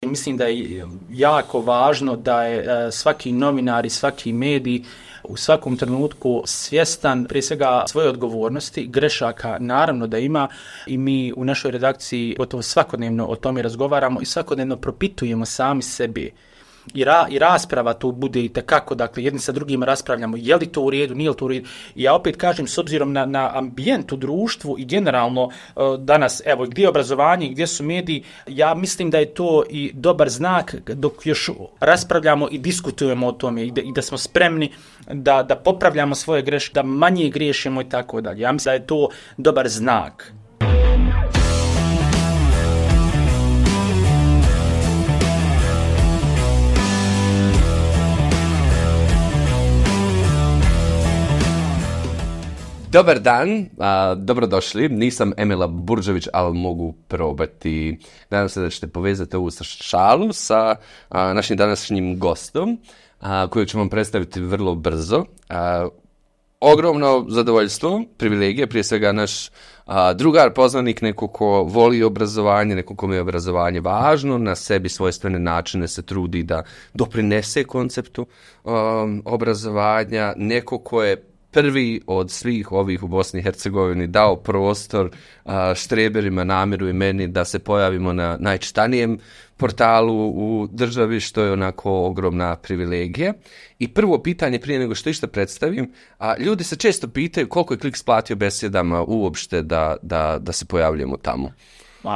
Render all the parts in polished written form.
mislim da je jako važno da je svaki novinar i svaki medij u svakom trenutku svjestan prije svega svoje odgovornosti, grešaka naravno da ima i mi u našoj redakciji gotovo svakodnevno o tome razgovaramo i svakodnevno propitujemo sami sebi. I rasprava tu bude i tekako, dakle, jedni sa drugima raspravljamo je li to u redu, nije li to u redu. I ja opet kažem, s obzirom na ambijent u društvu i generalno danas, evo, gdje je obrazovanje, gdje su mediji, ja mislim da je to i dobar znak dok još raspravljamo i diskutujemo o tome i da smo spremni da popravljamo svoje greške, da manje griješimo i tako dalje. Ja mislim da je to dobar znak. Dobar dan, dobrodošli. Nisam Emila Burđević, ali mogu probati. Nadam se da ćete povezati ovu šalu sa našim današnjim gostom, kojeg ću vam predstaviti vrlo brzo. Ogromno zadovoljstvo, privilegije, prije svega naš drugar, poznanik, neko ko voli obrazovanje, neko kome je obrazovanje važno, na sebi svojstvene načine se trudi da doprinese konceptu obrazovanja, neko ko je prvi od svih ovih u Bosni i Hercegovini dao prostor štreberima, Namiru i meni da se pojavimo na najčitanijem portalu u državi, što je onako ogromna privilegija. I prvo pitanje prije nego što išta predstavim, ljudi se često pitaju koliko je Kliks platio besjedama uopšte da se pojavljujemo tamo.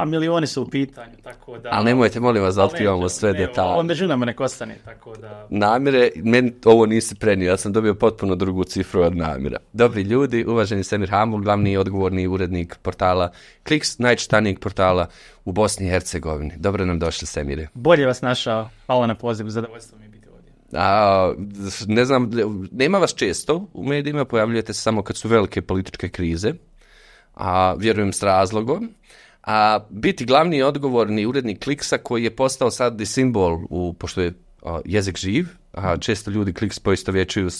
Milioni su u pitanju, tako da... Ali nemojte, molim vas, da otkrivamo sve detalje. Onda želimo nek ostane, tako da... Namire, meni ovo nisi prenio, ja sam dobio potpuno drugu cifru od Namira. Dobri ljudi, uvaženi Semir Hamul, glavni i odgovorni urednik portala Kliks, najčitanijeg portala u Bosni i Hercegovini. Dobro nam došli, Semire. Bolje vas našao, hvala na pozivu, zadovoljstvo mi je biti ovdje. Ne znam, nema vas često u medijima, pojavljujete se samo kad su velike političke krize, vjerujem s razlogom. Biti glavni i odgovorni urednik Kliksa koji je postao sad i simbol, pošto je jezik živ, često ljudi Kliks poistovjećuju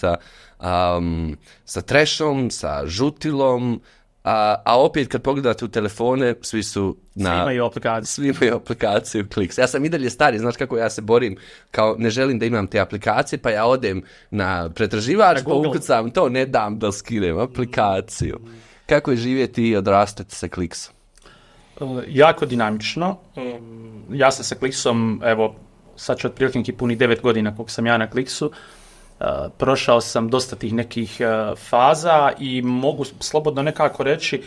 sa trashom, sa žutilom, a opet kad pogledate u telefone, svi imaju aplikaciju Kliks. Ja sam i dalje stari, znaš kako ja se borim, kao ne želim da imam te aplikacije, pa ja odem na pretraživač, pa ukucam to, ne dam da skinem aplikaciju. Kako je živjeti i odrastati sa Kliksom? Jako dinamično. Ja sam sa Kliksom, evo, sad ću otprilike puni 9 godina koliko sam ja na Kliksu. Prošao sam dosta tih nekih faza i mogu slobodno nekako reći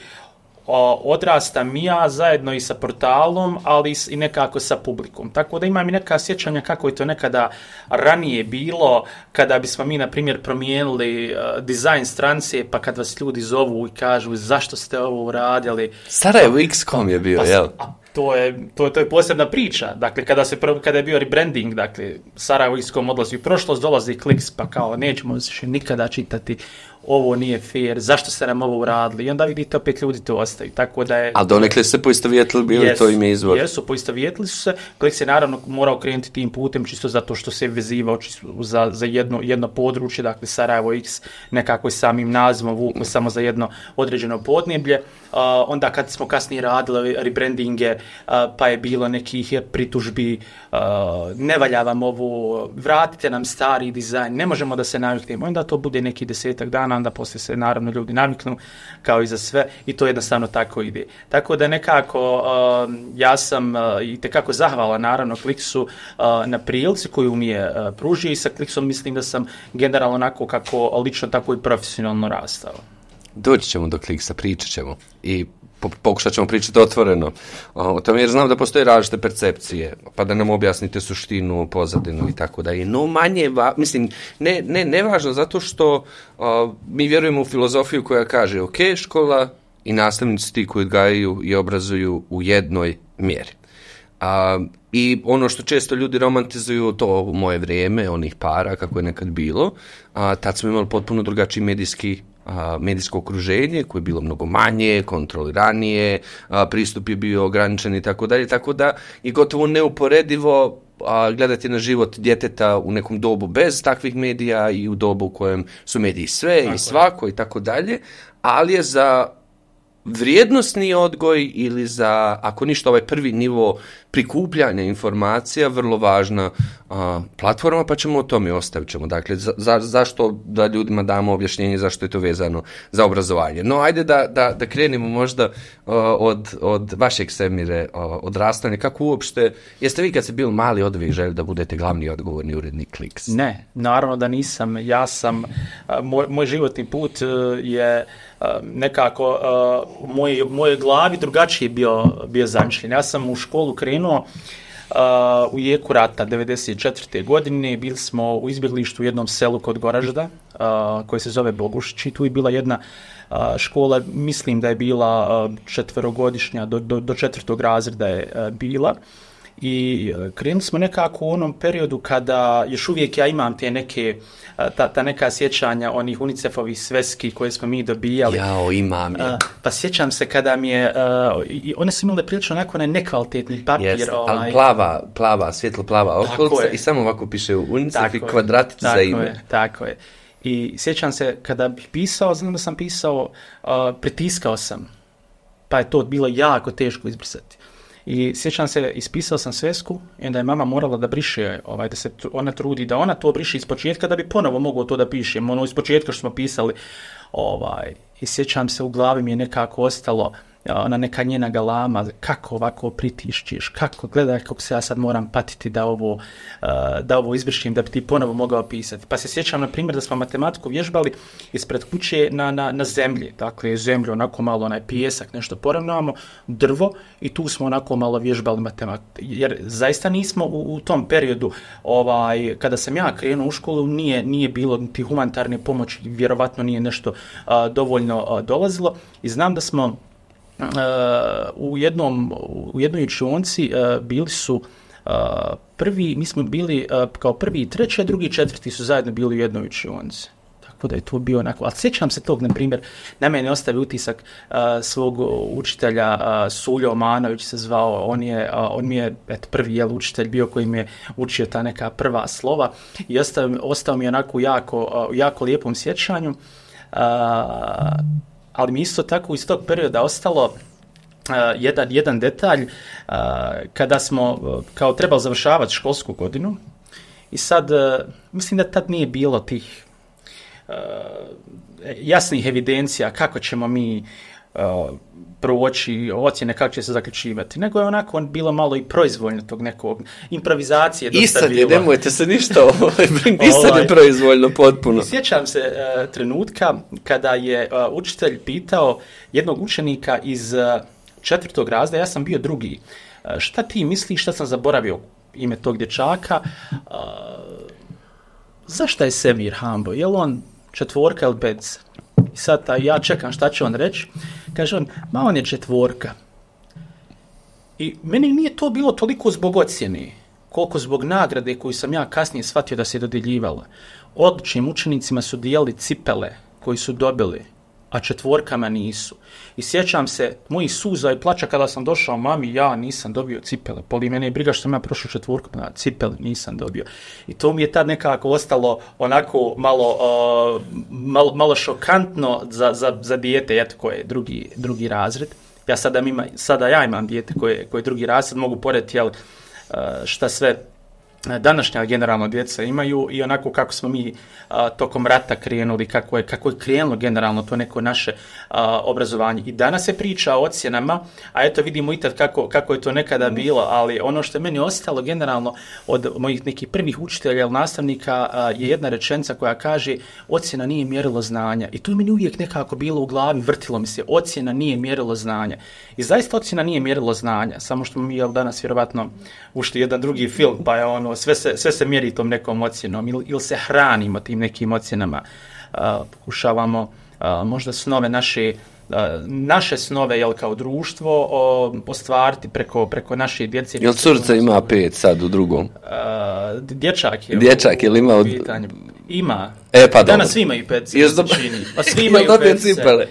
odrastam i ja zajedno i sa portalom, ali i nekako sa publikom. Tako da imam i neka sjećanja kako je to nekada ranije bilo, kada bismo mi, na primjer, promijenili dizajn stranice, pa kad vas ljudi zovu i kažu zašto ste ovo uradili. Sarajevo X.com je bio, jel? To je posebna priča. Dakle, kada je bio rebranding, dakle, Sarajevo X.com odlazi u prošlost, dolazi Kliks, pa kao nećemo više nikada čitati, ovo nije fair, zašto ste nam ovo uradili? I onda vidite opet ljudi to ostaju. Tako da je... Ali donekle se poistovjetili, bili to ime izvor? Jesu, poistovjetili su se. Kliks je naravno morao krenuti tim putem, čisto zato što se vezivao za jedno područje, dakle Sarajevo X, nekako samim nazivom vuku samo za jedno određeno podneblje. Onda kad smo kasnije radili rebrandinge, pa je bilo nekih pritužbi, ne valja vam ovo, vratite nam stari dizajn, ne možemo da se naviknemo. Onda to bude neki 10 dana, onda poslije se naravno ljudi naviknu kao i za sve i to jednostavno tako ide. Tako da nekako ja sam itekako zahvalan naravno Kliksu na prilici koju mi je pružio i sa Kliksom mislim da sam generalno onako kako lično tako i profesionalno rastao. Doći ćemo do Kliksa, pričat ćemo i pokušat ćemo pričati otvoreno o tome, jer znam da postoje različite percepcije, pa da nam objasnite suštinu, pozadinu i tako da je. No manje, mislim, ne važno, zato što mi vjerujemo u filozofiju koja kaže, ok, škola i nastavnici ti koji odgajaju i obrazuju u jednoj mjeri. I ono što često ljudi romantizuju, to u moje vrijeme, onih para, kako je nekad bilo, tad smo imali potpuno drugačiji medijsko okruženje koje je bilo mnogo manje, kontroliranije, pristup je bio ograničen i tako dalje, tako da je gotovo neuporedivo gledati na život djeteta u nekom dobu bez takvih medija i u dobu u kojem su mediji sve i svako i tako dalje, ali je za vrijednosni odgoj ili za, ako ništa, ovaj prvi nivo prikupljanja informacija, vrlo važna platforma, pa ćemo o tome ostavit ćemo. Dakle, zašto da ljudima damo objašnjenje zašto je to vezano za obrazovanje. No, ajde da krenemo možda od vašeg, Semire, odrastanja. Kako uopšte, jeste vi kad ste bili mali od uvijek želi da budete glavni odgovorni urednik Kliks? Ne, naravno da nisam. Ja sam, moj životni put je nekako u mojoj glavi drugačije bio zamišljen. Ja sam u školu krenuo u jeku rata 94. godine. Bili smo u izbjeglištu u jednom selu kod Goražda koje se zove Bogušić i tu je bila jedna škola, mislim da je bila 4-godišnja, do 4. razreda je bila. I krenuli smo nekako u onom periodu kada još uvijek ja imam te neke, ta neka sjećanja onih UNICEF-ovih sveski koje smo mi dobijali. Jao, imam je. Pa sjećam se kada mi je, one su imale prilično onako nekvalitetni papir. Jest, ali plava, svjetlo plava okolica i samo ovako piše UNICEF i kvadratić za ime. Tako je. I sjećam se kada bih pisao, znam da sam pisao, pritiskao sam, pa je to bilo jako teško izbrisati. I sjećam se, ispisao sam svesku i onda je mama morala da briše, da se ona trudi da ona to briše iz početka da bi ponovo mogao to da pišem, ono iz početka što smo pisali. I sjećam se, u glavi mi je nekako ostalo ona neka njena galama, kako ovako pritišćiš, kako gledaj kako se ja sad moram patiti da ovo izbrišim da bi ti ponovo mogao pisati. Pa se sjećam, na primjer, da smo matematiku vježbali ispred kuće na zemlji, dakle zemlju, onako malo onaj pijesak, nešto poravnamo, drvo i tu smo onako malo vježbali matematiku. Jer zaista nismo u tom periodu, kada sam ja krenuo u školu, nije bilo niti humanitarne pomoći, vjerovatno nije nešto dovoljno dolazilo i znam da smo u jednoj učionci bili su prvi, mi smo bili kao prvi i treći, a drugi i četvrti su zajedno bili u jednoj učionci. Tako da je to bio onako, ali sjećam se tog, na primjer, na mene ostavi utisak svog učitelja, Suljo Omanović se zvao, on mi je prvi učitelj bio koji mi je učio ta neka prva slova i ostao mi je onako jako lijepom sjećanju. Ali mi isto tako iz tog perioda ostalo jedan detalj kada smo kao trebali završavati školsku godinu i sad mislim da tad nije bilo tih jasnih evidencija kako ćemo mi proći ocjene, kako će se zaključivati, nego je onako bilo malo i proizvoljno tog nekog improvizacije. I sad je, nemojte se ništa i sad je proizvoljno potpuno. I sjećam se trenutka kada je učitelj pitao jednog učenika iz 4. razreda, ja sam bio drugi, šta ti misliš, šta sam zaboravio ime tog dječaka, zašto je Semir Hambo, je li on 4 ili 5? I sad ja čekam šta će on reći. Kaže on, on je 4. I meni nije to bilo toliko zbog ocjene, koliko zbog nagrade koju sam ja kasnije shvatio da se dodjeljivala. Odličnim učenicima su dijelili cipele koji su dobili, a 4 nisu. I sjećam se mojih suza i plača kada sam došao mami, ja nisam dobio cipele. Poli mene je briga što sam ja prošao 4, na cipele nisam dobio. I to mi je tad nekako ostalo onako malo šokantno za dijete, koje je drugi razred. Ja sada ja imam dijete koje je drugi razred, mogu porediti šta sve današnja generalno djeca imaju i onako kako smo mi tokom rata krenuli, kako je krenulo generalno to neko naše obrazovanje. I danas se priča o ocjenama, a eto vidimo i tad kako je to nekada bilo, ali ono što je meni ostalo generalno od mojih nekih prvih učitelja ili nastavnika je jedna rečenica koja kaže ocjena nije mjerilo znanja. I to je meni uvijek nekako bilo u glavi, vrtilo mi se, ocjena nije mjerilo znanja. I zaista ocjena nije mjerilo znanja, samo što mi danas vjerovatno ušli jedan drugi film, pa je sve se mjeri tom nekom ocjenom ili se hranimo tim nekim ocjenama. Pokušavamo možda snove naše snove kao društvo ostvariti preko naše djece. Jel curica ima 5 sad u drugom? Dječak je. Dječak je li ima? Ima. Pa danas svi imaju 5. Pa svi imaju 5 cipele.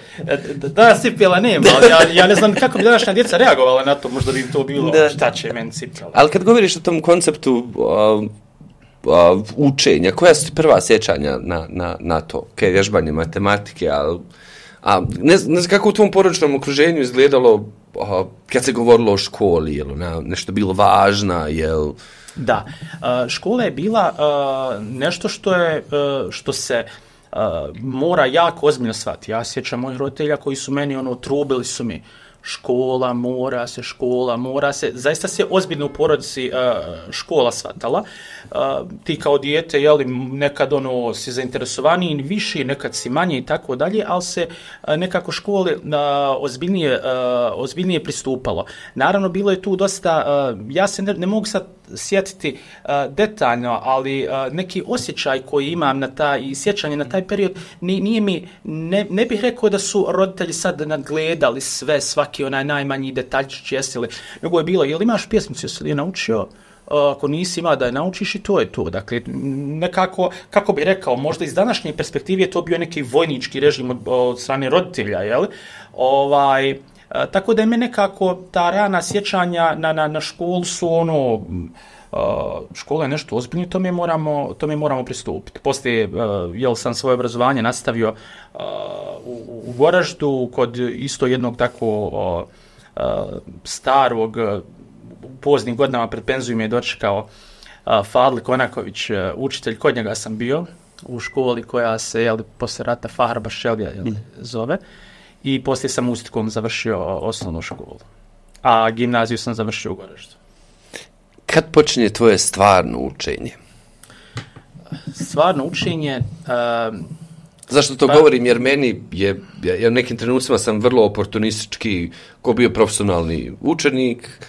Danas cipela nema. Ja ne znam kako bi današnja djeca reagovala na to. Možda bi to bilo šta će meni cipela. Ali kad govoriš o tom konceptu učenja, koja su ti prva sjećanja na to? Vježbanje matematike, A ne znam kako u tvom porodičnom okruženju izgledalo kad se govorilo o školi, je li nešto bilo važna, jel? Da, škola je bila nešto što se mora jako ozbiljno shvatiti. Ja sjećam mojih roditelja koji su meni trubili su mi škola mora se, zaista se ozbiljno u porodici škola shvatala. Ti kao dijete, jeli, nekad si zainteresovaniji više, nekad si manje i tako dalje, ali se nekako škole ozbiljnije pristupalo. Naravno, bilo je tu dosta, ja se ne mogu sad sjetiti detaljno, ali neki osjećaj koji imam i sjećanje na taj period, nije mi, ne bih rekao da su roditelji sad nadgledali svaki onaj najmanji detaljčić jesili, nego je bilo, jel imaš pjesmicu, jesi li je naučio? Ako nisi imao da je naučiš i to je to. Dakle, nekako, kako bi rekao, možda iz današnje perspektive je to bio neki vojnički režim od strane roditelja, jel? Tako da je me nekako ta rana sjećanja na školu su škola je nešto ozbiljno, tome moramo pristupiti. Poslije, sam svoje obrazovanje nastavio u Goraždu kod isto jednog tako starog, u poznim godinama pred penzijom je dočekao Fadli Konaković, učitelj, kod njega sam bio u školi koja se poslije rata Fahar Bašelija zove, i poslije sam Ustikom završio osnovnu školu, a gimnaziju sam završio u Goraždu. Kad počinje tvoje stvarno učenje? Stvarno učenje... Zašto to govorim? Jer meni ja u nekim trenucima sam vrlo oportunistički, ko bio profesionalni učenik,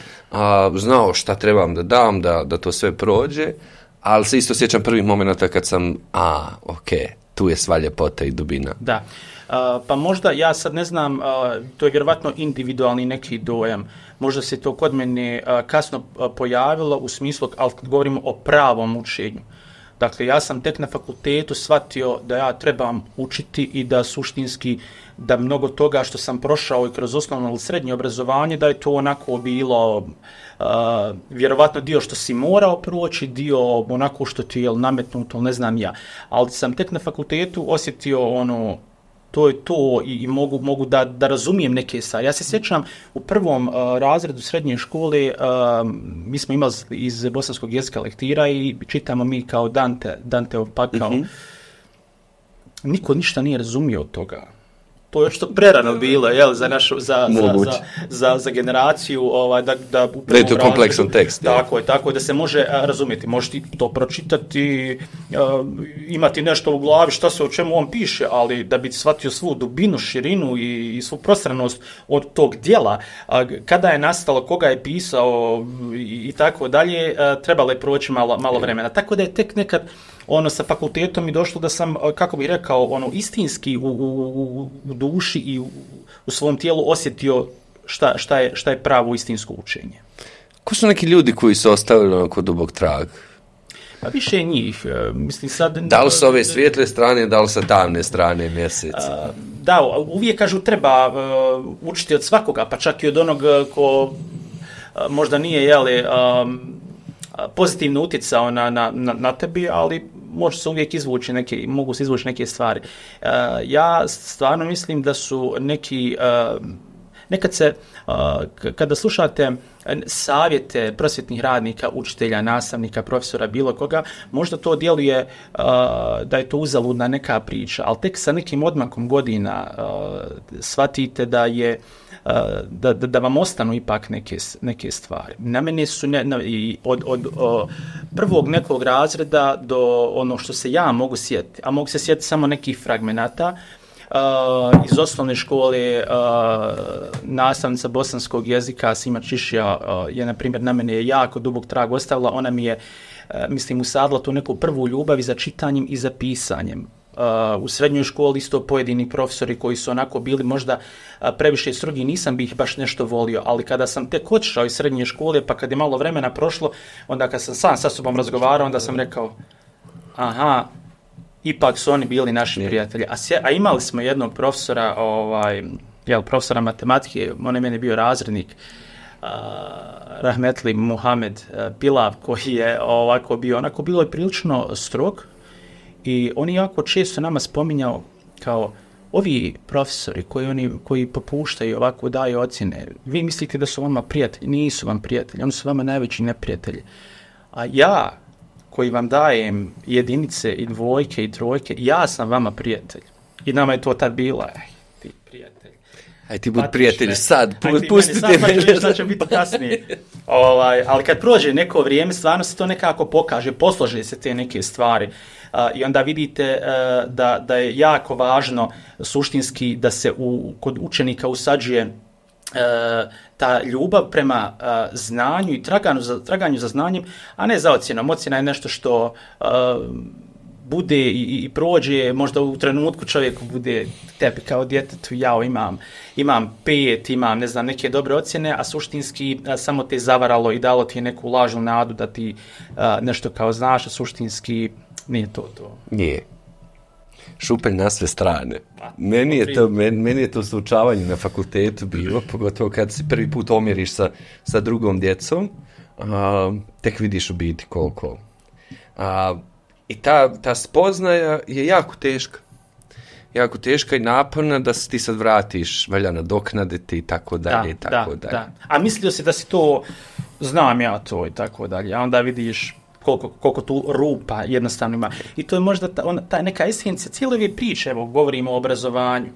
znao šta trebam da dam, da to sve prođe, ali se isto sjećam prvih momenta kad sam, tu je sva ljepota i dubina. Da, pa možda, ja sad ne znam, to je vjerovatno individualni neki dojam, možda se to kod mene kasno pojavilo u smislu, ali kad govorimo o pravom učenju. Dakle, ja sam tek na fakultetu shvatio da ja trebam učiti i da suštinski, da mnogo toga što sam prošao i kroz osnovno ili srednje obrazovanje, da je to onako bilo vjerovatno dio što si morao proći, dio onako što ti je nametnuto, ne znam ja. Ali sam tek na fakultetu osjetio to je to i mogu da razumijem neke stvari. Ja se sjećam u prvom razredu srednje škole, mi smo imali iz bosanskog jezika lektira i čitamo mi kao Danteov pakao. Niko ništa nije razumio od toga. To je što prerano bilo, jel, za našu, za generaciju, da u prvom je to kompleksan tekst. Tako da se može razumjeti. Možeš ti to pročitati, imati nešto u glavi šta se o čemu on piše, ali da bi shvatio svu dubinu, širinu i svu prostranost od tog djela, kada je nastalo, koga je pisao i tako dalje, trebalo je proći malo vremena. Tako da je tek nekad sa fakultetom mi došlo da sam, kako bih rekao, istinski u duši i u svom tijelu osjetio šta je pravo istinsko učenje. Ko su neki ljudi koji su ostavili onako dubok trag? Pa više njih. Mislim sad... Da li s ove svijetle strane, da li sa tamne strane mjeseca? Da, uvijek kažu treba učiti od svakoga, pa čak i od onog ko možda nije, pozitivno utjecao na tebi, ali može se uvijek mogu se izvući neke stvari. Ja stvarno mislim da su nekad se, kada slušate savjete prosvjetnih radnika, učitelja, nastavnika, profesora, bilo koga, možda to djeluje da je to uzaludna neka priča, ali tek sa nekim odmakom godina shvatite da je da vam ostanu ipak neke stvari. Na mene su od prvog nekog razreda do ono što se ja mogu sjetiti, a mogu se sjetiti samo nekih fragmenata, iz osnovne škole nastavnica bosanskog jezika Sima Čišija je, na primjer, na mene je jako dubok trag ostavila. Ona mi je, mislim, usadila tu neku prvu ljubav i za čitanjem i za pisanjem. U srednjoj školi isto pojedini profesori koji su onako bili možda previše strogi, nisam bi ih baš nešto volio, ali kada sam tek otišao iz srednje škole, pa kad je malo vremena prošlo, onda kad sam sam sa sobom razgovarao, onda sam rekao, ipak su oni bili naši prijatelji. A imali smo jednog profesora, profesora matematike, on je meni bio razrednik, Rahmetli Muhamed Pilav, koji je bilo je prilično strog i on je jako često nama spominjao kao ovi profesori koji popuštaju ovako daju ocjene, vi mislite da su vama prijatelji, nisu vam prijatelji, oni su vama najveći neprijatelji. A ja, koji vam dajem jedinice i dvojke i trojke, ja sam vama prijatelj. I nama je to tad bila, ti prijatelj. Aj ti budi prijatelj sad, pustite me. Sad će biti kasnije. Ali kad prođe neko vrijeme, stvarno se to nekako pokaže, poslože se te neke stvari. I onda vidite da je jako važno suštinski da se kod učenika usađuje ta ljubav prema znanju i traganju za znanjem, a ne za ocjenom. Ocjena je nešto što bude i prođe, možda u trenutku čovjeku bude tebi kao djetetu, ja imam 5, imam ne znam neke dobre ocjene, a suštinski samo te zavaralo i dalo ti neku lažnu nadu da ti nešto kao znaš, a suštinski nije to. Nije. Šupelj na sve strane. Meni je to slučavanje na fakultetu bilo, pogotovo kad se prvi put omjeriš sa drugom djecom, tek vidiš u biti koliko. I ta spoznaja je jako teška. Jako teška i naporna da se ti sad vratiš, valja nadoknaditi i tako dalje. Da. A mislio si da si to, znam ja to i tako dalje, a onda vidiš koliko tu rupa jednostavno ima. I to je možda ta neka esencija cijele ove priče, evo govorimo o obrazovanju.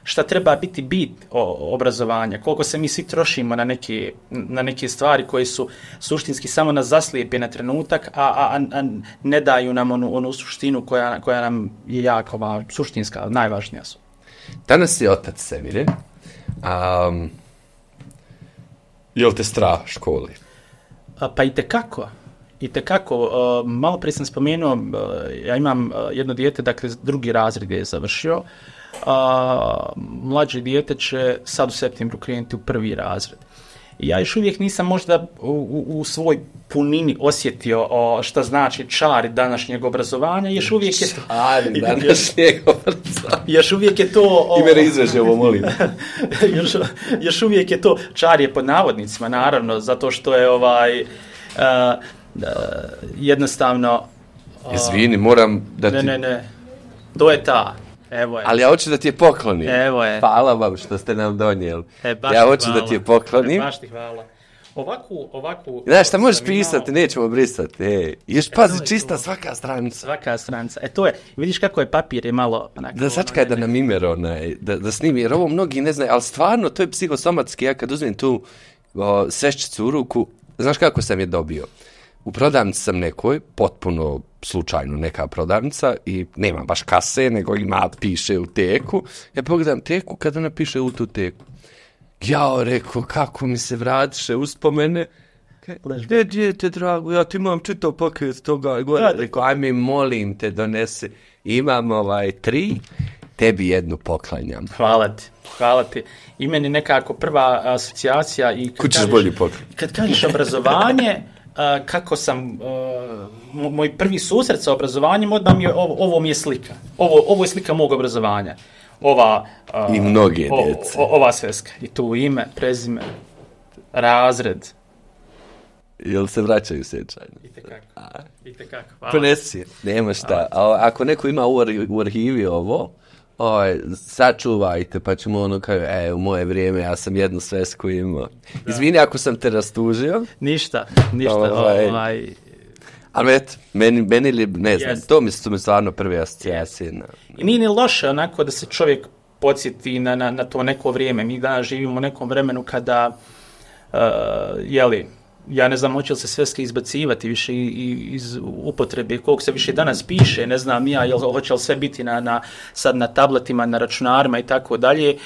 Šta treba biti bit obrazovanja, koliko se mi svi trošimo na neke stvari koje su suštinski samo nas zaslijepe na trenutak, a ne daju nam onu suštinu koja nam je jako važna, suštinska, najvažnija su. Danas je otac Semire. Je li te strah školi? Pa i tekako. Malo prije sam spomenuo, ja imam jedno dijete, dakle drugi razred je završio, mlađe dijete će sad u septembru krenuti u prvi razred. I ja još uvijek nisam možda u svoj punini osjetio šta znači čari današnjeg obrazovanja. Još uvijek je to... Čari današnjeg obrazovanja. Još uvijek je to... Ime izveže ovo, molim. Još uvijek je to, čar je pod navodnicima, naravno, zato što je jednostavno... Izvini, moram da ti... Ne, to je ta... Evo je. Ali ja hoću da ti je poklonim. Evo je. Hvala vam što ste nam donijeli. Ja hoću da ti je poklonim. Baš ti hvala. Ovakvu... Znaš, šta možeš pisati, nećemo brisati. Još pazi, čista svaka stranica. Svaka stranica. To je, vidiš kako je papir je malo... Da sačekaj da nam imer da snimi, jer ovo mnogi ne znaju, ali stvarno to je psihosomatski. Ja kad uzmem tu sveščicu u ruku, znaš kako sam je dobio? U prodavnici sam nekoj, potpuno slučajno neka prodavnica i nema baš kase, nego piše u teku. Ja pogledam teku kada ona piše u tu teku. Ja rekao, kako mi se vratiše uspomene. Gdje dijete, drago, ja ti imam čitav paket toga. Rekao, ajme, molim te, donese. Imam 3, tebi jednu poklanjam. Hvala ti. I meni nekako prva asocijacija i kućiš bolji poklon. Kad kažeš obrazovanje, kako sam, moj prvi susret sa obrazovanjem, odmah mi je, ovo mi je slika. Ovo je slika mog obrazovanja. I mnoge djece. Ova sveska. I tu ime, prezime, razred. Jel se vraćaju sjećanja? Itekako. Hvala. Ponesi, nema šta. Ako neko ima u arhivi ovo, sačuvajte, pa ćemo u moje vrijeme ja sam jednu svesku imao. Izvini ako sam te rastužio. Ništa. Ali eto, meni ne znam, to mi stvarno prve asocijacije. I nije ni loše onako da se čovjek podsjeti na to neko vrijeme. Mi danas živimo u nekom vremenu kada, ja ne znam, hoće li se sveske izbacivati više iz upotrebe, koliko se više danas piše, ne znam ja, hoće li sve biti sad na tabletima, na računarima i tako dalje,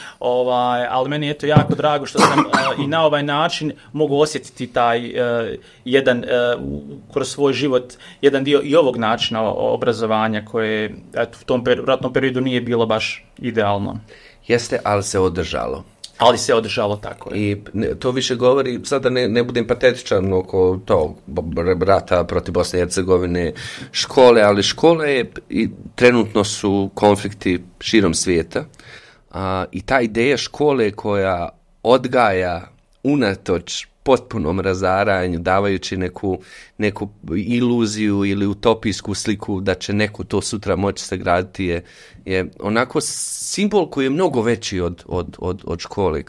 ali meni je to jako drago što sam i na ovaj način mogu osjetiti taj jedan, kroz svoj život, jedan dio i ovog načina obrazovanja koje u tom ratnom periodu nije bilo baš idealno. Jeste, ali se održalo. Ali se održalo tako. I to više govori, sada ne budem patetičan oko tog rata protiv Bosne i Hercegovine, ali škole trenutno su konflikti širom svijeta. I ta ideja škole koja odgaja unatoč potpunom razaranju, davajući neku iluziju ili utopijsku sliku da će neko to sutra moći sagraditi je onako simbol koji je mnogo veći od škole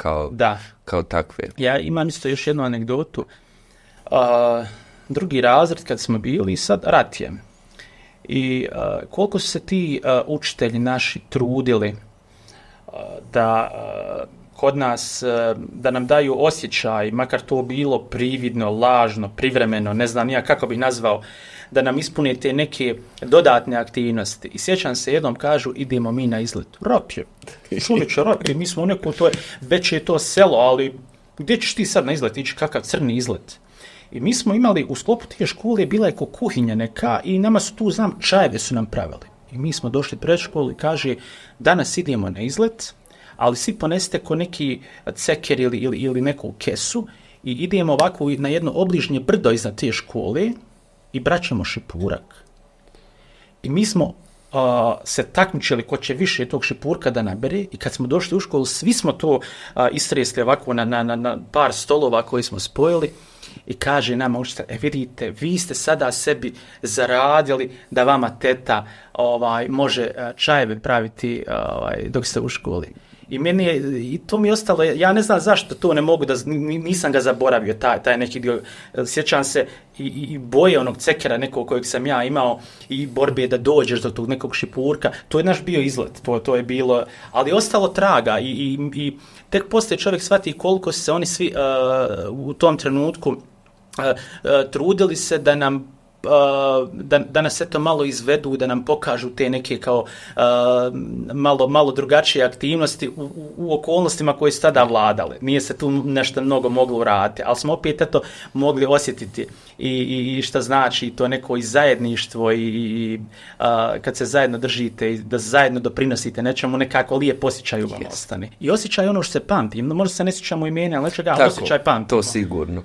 kao takve. Ja imam isto još jednu anegdotu. Drugi razred kad smo bili, sad rat je. I koliko su se ti učitelji naši trudili da kod nas, da nam daju osjećaj, makar to bilo prividno, lažno, privremeno, ne znam ja kako bih nazvao, da nam ispune te neke dodatne aktivnosti. I sjećam se, jednom kažu, idemo mi na izlet. Rap je, čovječe, rap je, mi smo u nekom, već je to selo, ali gdje ćeš ti sad na izlet ići, kakav crni izlet? I mi smo imali, u sklopu te škole, bila je kuhinja neka i nama su tu, čajeve su nam pravili. I mi smo došli pred školu i kaže, danas idemo na izlet, ali svi ponesite ko neki ceker ili neku kesu i idemo ovako na jedno obližnje brdo iznad te škole i braćemo šipurak. I mi smo se takmičili ko će više tog šipurka da nabere i kad smo došli u školu, svi smo to istresli ovako na par stolova koji smo spojili i kaže nama učitelj, vidite, vi ste sada sebi zaradili da vama teta može čajeve praviti dok ste u školi. I meni je, i to mi je ostalo, ja ne znam zašto to ne mogu, nisam ga zaboravio, taj neki dio, sjećam se i boje onog cekera nekog kojeg sam ja imao i borbe da dođeš do tog nekog šipurka, to je naš bio izlet, to je bilo, ali je ostalo traga i tek poslije čovjek shvati koliko se oni svi u tom trenutku trudili se da nam da nas eto malo izvedu, da nam pokažu te neke kao malo drugačije aktivnosti u okolnostima koje su tada vladale. Nije se tu nešto mnogo moglo uraditi, ali smo opet eto mogli osjetiti i šta znači to neko i zajedništvo i kad se zajedno držite i da zajedno doprinosite nečemu, nekako lijep osjećaj vam ostane. I osjećaj ono što se pamti. Možda se ne sjećamo imena, ali nečega osjećaj pamtimo. To sigurno.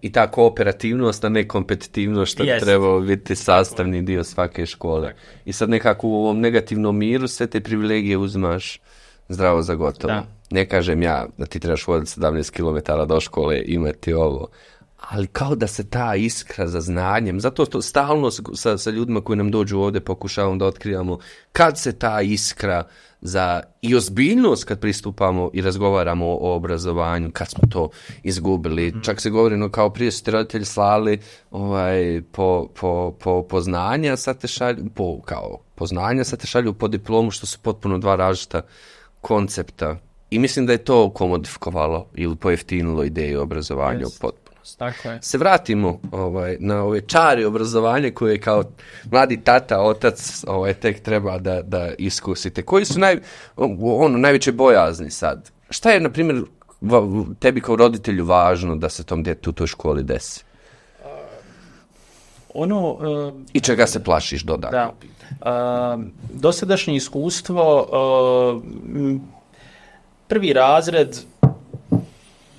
I ta kooperativnost, a ne kompetitivnost što treba biti sastavni dio svake škole. I sad nekako u ovom negativnom miru sve te privilegije uzimaš zdravo za gotovo. Da. Ne kažem ja da ti trebaš voditi 17 km do škole, imati ovo, ali kao da se ta iskra za znanjem, zato to stalno sa ljudima koji nam dođu ovdje pokušavamo da otkrivamo kad se ta iskra za i ozbiljnost kad pristupamo i razgovaramo o obrazovanju, kad smo to izgubili. Čak se govori kao prije su ti roditelji slali po znanja, sad te šalju po znanja, sad te šalju po diplomu, što su potpuno dva različita koncepta. I mislim da je to komodifikovalo ili pojeftinilo ideju obrazovanja u potpunosti. Tako je. Se vratimo na ove čari obrazovanja koje kao mladi tata, otac tek treba da iskusite. Koji su najveće bojazni sad? Šta je, na primjer, tebi kao roditelju važno da se tom djetetu u toj školi desi? I čega se plašiš dodatno? Dosadašnje iskustvo, prvi razred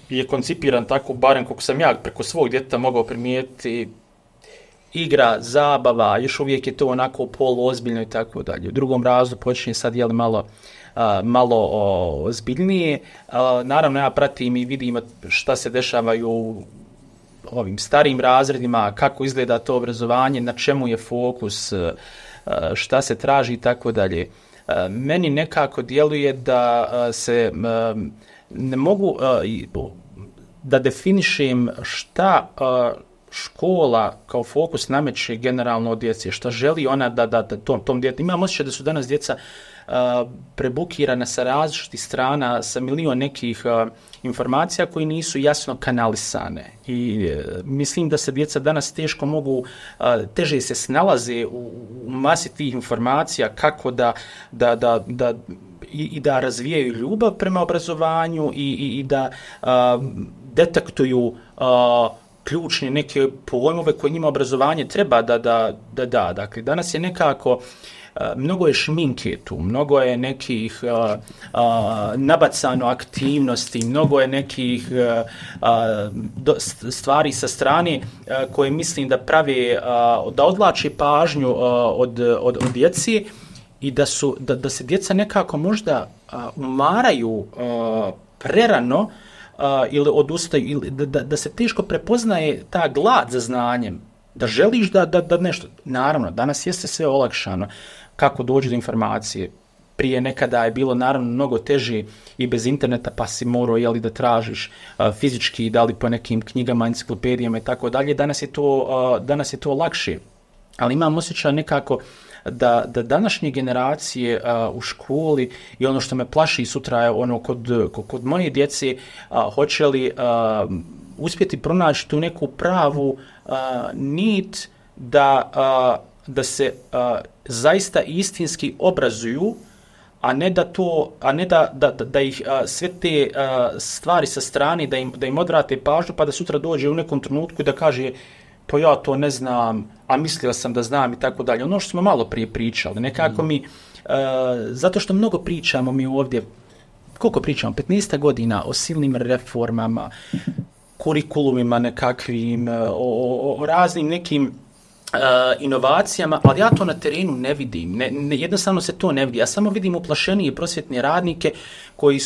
je koncipiran tako, barem kako sam ja preko svog djeteta mogao primijetiti, igra, zabava, još uvijek je to onako poluozbiljno i tako dalje. U drugom razredu počinje sad malo ozbiljnije. Naravno, ja pratim i vidim šta se dešava u ovim starijim razredima, kako izgleda to obrazovanje, na čemu je fokus, šta se traži i tako dalje. Meni nekako djeluje da se ne mogu da definišem šta škola kao fokus nameće generalno od djece, šta želi ona da tom djetetu. Imam osjećaj da su danas djeca prebukirana sa različitih strana, sa milion nekih informacija koji nisu jasno kanalisane. I mislim da se djeca danas teško mogu, teže se snalaze u masi tih informacija kako da razvijaju ljubav prema obrazovanju i da detektuju ključne neke pojmove koje njima obrazovanje treba da da. Dakle, danas je nekako mnogo je šminke tu, mnogo je nekih nabacano aktivnosti, mnogo je nekih stvari sa strane koje mislim da prave, da odvlače pažnju od djece i da se djeca nekako možda umaraju prerano ili odustaju, ili da se teško prepoznaje ta glad za znanjem, da želiš da nešto. Naravno, danas jeste sve olakšano kako dođe do informacije. Prije nekada je bilo naravno mnogo teže i bez interneta, pa si morao da tražiš fizički, da li po nekim knjigama, enciklopedijama i tako dalje. Danas je to lakše. Ali imam osjećaj nekako da današnje generacije u školi i ono što me plaši sutra je ono kod moje djece, hoće li uspjeti pronaći tu neku pravu nit da se zaista istinski obrazuju, a ne da ih sve te stvari sa strane, da im odvrate pažnju, pa da sutra dođe u nekom trenutku i da kaže pa ja to ne znam, a mislio sam da znam i tako dalje. Ono što smo malo prije pričali, nekako mi, zato što mnogo pričamo mi ovdje, koliko pričamo, 15 godina o silnim reformama, kurikulumima nekakvim, o raznim nekim inovacijama, ali ja to na terenu ne vidim. Jednostavno se to ne vidi. Ja samo vidim uplašenije prosvjetne radnike koji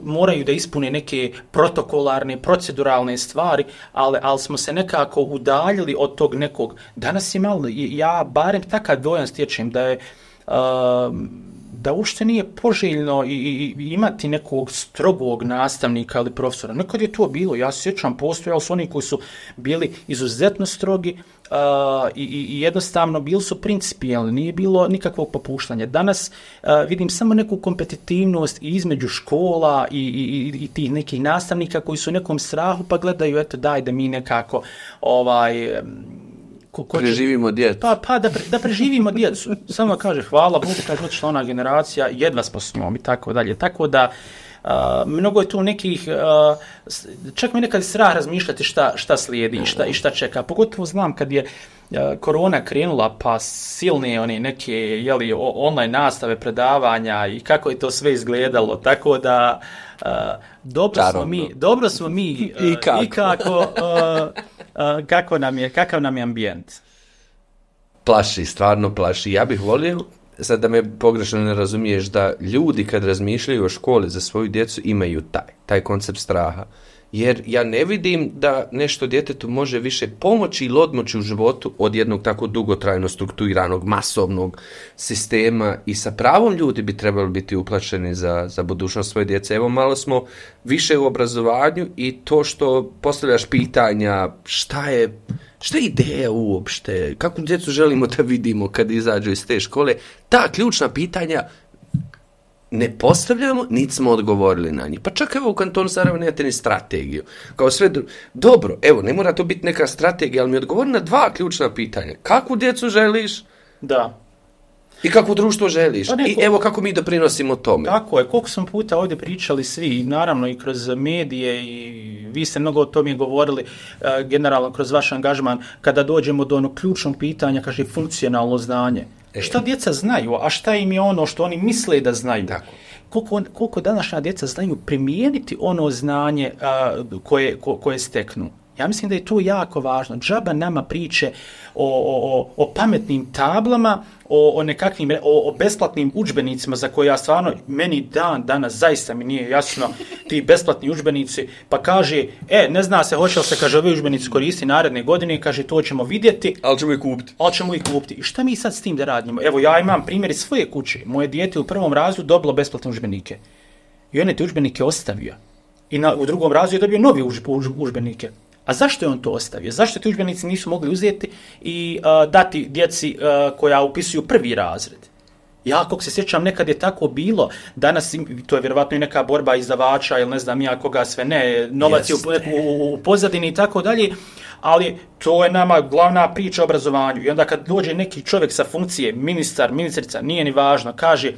moraju da ispune neke protokolarne, proceduralne stvari, ali smo se nekako udaljili od tog nekog. Danas je malo, ja barem takav dojam stječem da uopšte nije poželjno i imati nekog strogog nastavnika ili profesora. Nekad je to bilo, ja se sjećam, postojali su oni koji su bili izuzetno strogi i jednostavno bili su principijelni, nije bilo nikakvog popuštanja. Danas vidim samo neku kompetitivnost i između škola i tih nekih nastavnika koji su u nekom strahu pa gledaju, eto daj da mi nekako preživimo djecu. Pa da preživimo djecu. Samo kaže hvala Bogu, kaže otišla ona generacija, jedva smo s njom i tako dalje. Tako da mnogo je tu nekih, čak mi nekad strah razmišljati šta slijedi i šta čeka. Pogotovo znam kad je korona krenula, pa silne one neke online nastave, predavanja i kako je to sve izgledalo. Tako da dobro smo mi i kako kakav nam je ambijent. Plaši, stvarno plaši. Ja bih volio, sad da me pogrešno ne razumiješ, da ljudi kad razmišljaju o školi za svoju djecu imaju taj koncept straha. Jer ja ne vidim da nešto djetetu može više pomoći ili odmoći u životu od jednog tako dugotrajno strukturiranog, masovnog sistema i sa pravom ljudi bi trebali biti uplašeni za budućnost svoje djece. Evo malo smo više u obrazovanju i to što postavljaš pitanja šta je ideja uopšte, kakvu djecu želimo da vidimo kad izađu iz te škole, ta ključna pitanja ne postavljamo, niti smo odgovorili na njih. Pa čak evo u kantonu Sarajevo nemate ni strategiju. Kao sve dobro, evo, ne mora to biti neka strategija, ali mi odgovori na 2 ključna pitanja. Kakvu djecu želiš? Da. I kakvo društvo želiš? I evo kako mi doprinosimo tome. Tako je, koliko smo puta ovdje pričali svi, naravno i kroz medije i vi ste mnogo o tome govorili, generalno kroz vaš angažman, kada dođemo do onog ključnog pitanja, kaže funkcionalno znanje. Šta djeca znaju, a šta im je ono što oni misle da znaju? Tako. Koliko današnja djeca znaju primijeniti ono znanje koje steknu? Ja mislim da je to jako važno. Džaba nama priče o pametnim tablama, o nekakvim o besplatnim udžbenicima za koje ja stvarno, meni danas zaista mi nije jasno ti besplatni udžbenici, pa kaže, ne zna se hoće li se, kaže, ovi udžbenici koristi naredne godine, kaže, to ćemo vidjeti. Ali ćemo ih kupiti. I šta mi sad s tim da radimo? Evo, ja imam primjer iz svoje kuće. Moje dijete u 1. razredu dobilo besplatne udžbenike. I on je te udžbenike ostavio. I u 2. razredu je dobio novi udžbenike. A zašto je on to ostavio? Zašto ti udžbenici nisu mogli uzeti i dati djeci koja upisuju 1. razred? Ja, kako se sjećam, nekad je tako bilo. Danas, to je vjerovatno i neka borba izdavača ili ne znam ja koga sve ne, novac je u pozadini i tako dalje, ali to je nama glavna priča o obrazovanju. I onda kad dođe neki čovjek sa funkcije, ministar, ministrica, nije ni važno, kaže,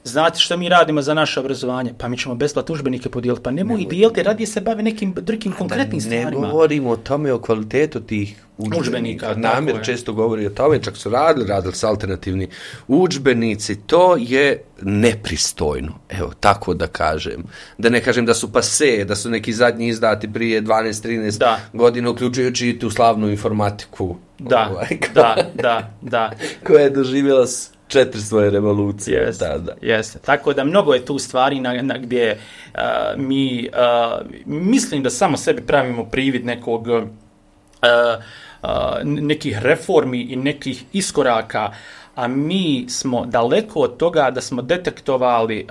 znate što mi radimo za naše obrazovanje? Pa mi ćemo besplatne udžbenike podijeliti. Pa nemoj ih dijeliti, radije se bave nekim drugim konkretnim stvarima. Ne govorimo o tome, o kvalitetu tih udžbenika. Namjer često govori o tome, čak su radili su alternativni udžbenici. To je nepristojno, evo, tako da kažem. Da ne kažem da su pase, da su neki zadnji izdati prije 12-13 godina, uključujući i tu slavnu informatiku. Da. Koja je doživjela 4 svoje revolucije. Jeste. Tako da mnogo je tu stvari gdje mi mislim da samo sebi pravimo privid nekih reformi i nekih iskoraka, a mi smo daleko od toga da smo detektovali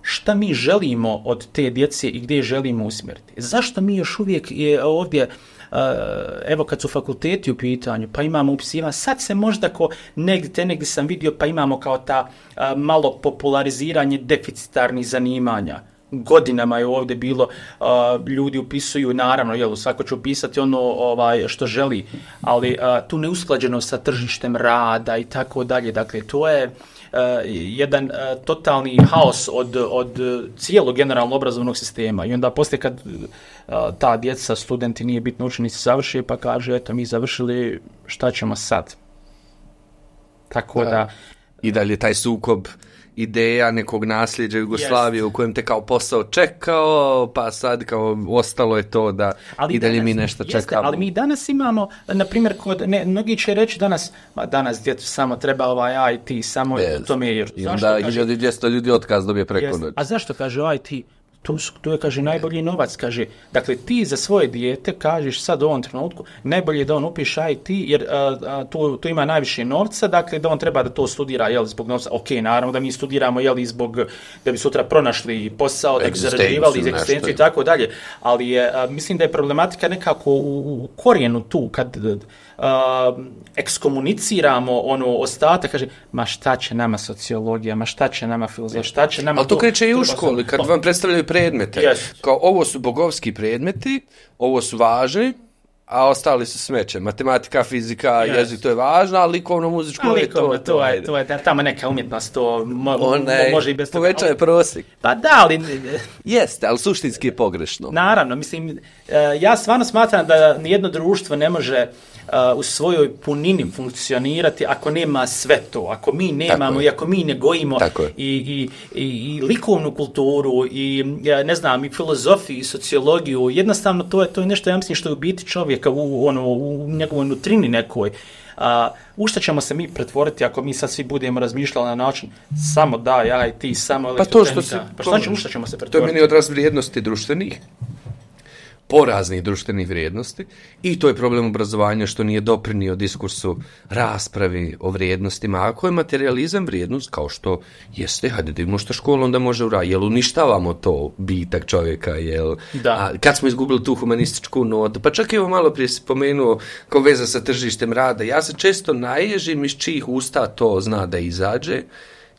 šta mi želimo od te djece i gdje želimo usmjeriti. Zašto mi još uvijek je ovdje, evo kad su fakulteti u pitanju, pa imamo upisivanje, sad se možda negdje sam vidio, pa imamo kao ta malo populariziranje deficitarnih zanimanja. Godinama je ovdje bilo, ljudi upisuju, naravno, svako će upisati ono što želi, ali tu neusklađenost sa tržištem rada i tako dalje. Dakle, to je jedan totalni haos od cijelog generalno obrazovnog sistema. I onda poslije kad ta djeca, studenti, nije bitno učenici završe, pa kaže, eto, mi završili, šta ćemo sad? Tako da... I dalje taj sukob ideja nekog nasljeđa Jugoslavije u kojem te kao posao čekao, pa sad kao ostalo je to da i dalje mi nešto čekamo. Ali mi danas imamo, na primjer, mnogi će reći danas djecu samo treba IT, samo to mi je. I onda 1200 ljudi otkaz dobije preko noći. A zašto kaže IT? To je, kaže, najbolji novac, kaže. Dakle, ti za svoje dijete kažeš sad u ovom trenutku, najbolje je da on upiše IT, jer tu ima najviše novca, dakle, da on treba da to studira, zbog novca. Ok, naravno da mi studiramo, da bi sutra pronašli posao, da bi zarađivali iz egzistencije i tako dalje. Ali mislim da je problematika nekako u korijenu tu, kad ekskomuniciramo ostatak, kaže, ma šta će nama sociologija, ma šta će nama filozofija, šta će nama... Ali to kreće i u školi, kad vam predstavljaju predmete. Kao ovo su bogovski predmeti, ovo su važni, a ostali su smeće. Matematika, fizika, jezik, to je važno, a likovno, muzičko je to. To je tamo neka umjetnost, to može i bez toga. Povećava prosjek. Pa da, ali... Jeste, ali suštinski je pogrešno. Naravno, mislim, ja stvarno smatram da nijedno društvo ne može u svojoj punini funkcionirati ako nema sve to, ako mi nemamo i ako mi ne gojimo i likovnu kulturu i ne znam, i filozofiju i sociologiju. Jednostavno to je nešto, ja mislim, što je u biti čovjeka u njegovoj nutrini nekoj. U što ćemo se mi pretvoriti ako mi sad svi budemo razmišljali na način samo IT, samo elektrotehnika? U što ćemo se pretvoriti? To je meni odraz vrijednosti društvenih, poraznih društvenih vrijednosti, i to je problem obrazovanja što nije doprinio diskursu raspravi o vrijednostima. Ako je materializam vrijednost, kao što jeste, hajde da vidimo što škola onda može uraditi, jel uništavamo to bitak čovjeka, kad smo izgubili tu humanističku notu, pa čak evo malo prije si pomenuo kao veza sa tržištem rada, ja se često naježim iz čijih usta to zna da izađe,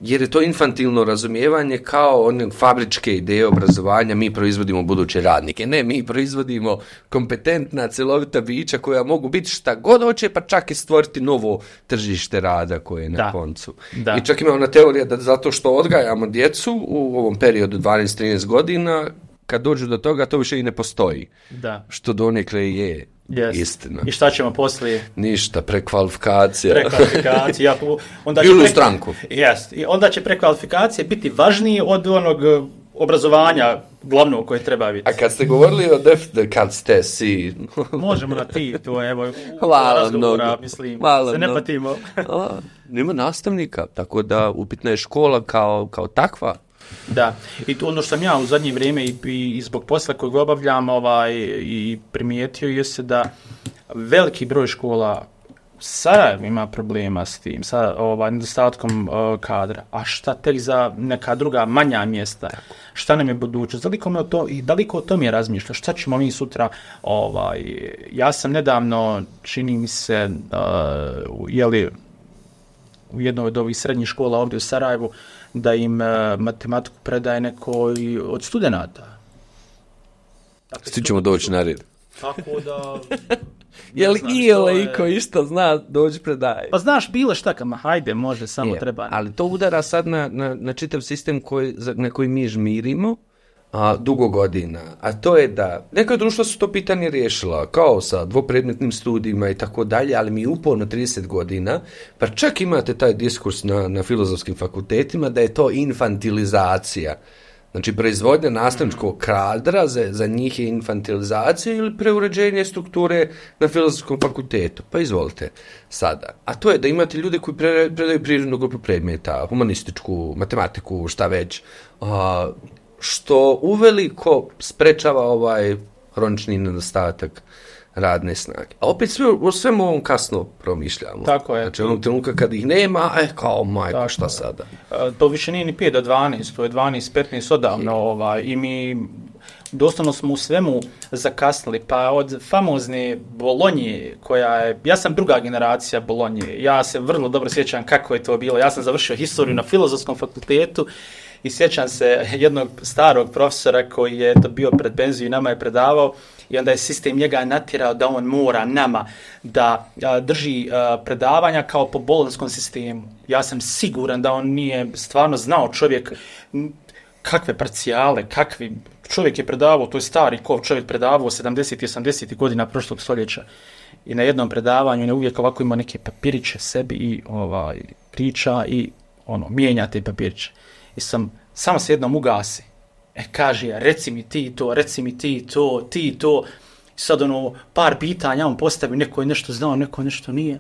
jer je to infantilno razumijevanje kao one fabričke ideje obrazovanja, mi proizvodimo buduće radnike. Ne, mi proizvodimo kompetentna, celovita bića koja mogu biti šta god hoće, pa čak i stvoriti novo tržište rada koje je na koncu. Da. I čak ima ona teorija da zato što odgajamo djecu u ovom periodu 12-13 godina, kad dođu do toga, to više i ne postoji. Da. Što donekle je istina. I šta ćemo poslije? Ništa, prekvalifikacija. Ili u stranku. I onda će prekvalifikacije biti važnije od onog obrazovanja glavnog koje treba biti. A kad ste govorili o kad ste si... Možemo na ti, to je, evo, razgovora, mislim, se ne patimo. Nema nastavnika, tako da upitna je škola kao takva. Da, i to ono što sam ja u zadnje vrijeme i zbog posla kojeg obavljam i primijetio je se da veliki broj škola Sarajevo ima problema s tim, sa nedostatkom kadra, a šta tek za neka druga manja mjesta, šta nam je budućnost, daleko o tome je razmišljao, šta ćemo mi sutra, ja sam nedavno, čini mi se, u jednoj od ovih srednjih škola ovdje u Sarajevu, da im matematiku predaje neko od studenata. Svi ćemo doći na red. Tako da... Je li iko isto zna doći predaje? Pa znaš, bilo šta, hajde, može, samo treba. Ali to udara sad na čitav sistem na koji mi žmirimo dugo godina. A to je da neka društva su to pitanje riješila, kao sa dvopredmetnim studijima i tako dalje, ali mi uporno 30 godina, pa čak imate taj diskurs na filozofskim fakultetima da je to infantilizacija Znači, proizvodnja nastavničkog kadra za njih je infantilizacija ili preuređenje strukture na Filozofskom fakultetu. Pa izvolite sada. A to je da imate ljude koji predaju prirodnu grupu predmeta, humanističku, matematiku, šta već, što uveliko sprečava ovaj hronični nedostatak radne snage. A opet o svemu ovom kasno promišljamo. Tako je. Znači, onog trenutka kad ih nema, kao majko, tako, šta sada? To više nije ni 5 do 12, to je 12-15 odavno. I mi doslovno smo u svemu zakasnili. Pa od famozne Bolonje, koja je... Ja sam druga generacija Bolonje. Ja se vrlo dobro sjećam kako je to bilo. Ja sam završio historiju na Filozofskom fakultetu i sjećam se jednog starog profesora koji je to bio pred penziju i nama je predavao. I onda je sistem njega natjerao da on mora nama da drži predavanja kao po bolonskom sistemu. Ja sam siguran da on nije stvarno znao čovjek kakve parcijale, kakvi... Čovjek je predavao, to je stari čovjek predavao 70. i 80. godina prošlog stoljeća. I na jednom predavanju ne uvijek ovako ima neke papiriće sebi i priča i mijenja te papiriće. I samo se jednom ugasi. Kaže, reci mi ti to, ti to. I sad par pitanja on postavi, neko je nešto znao, neko nešto nije.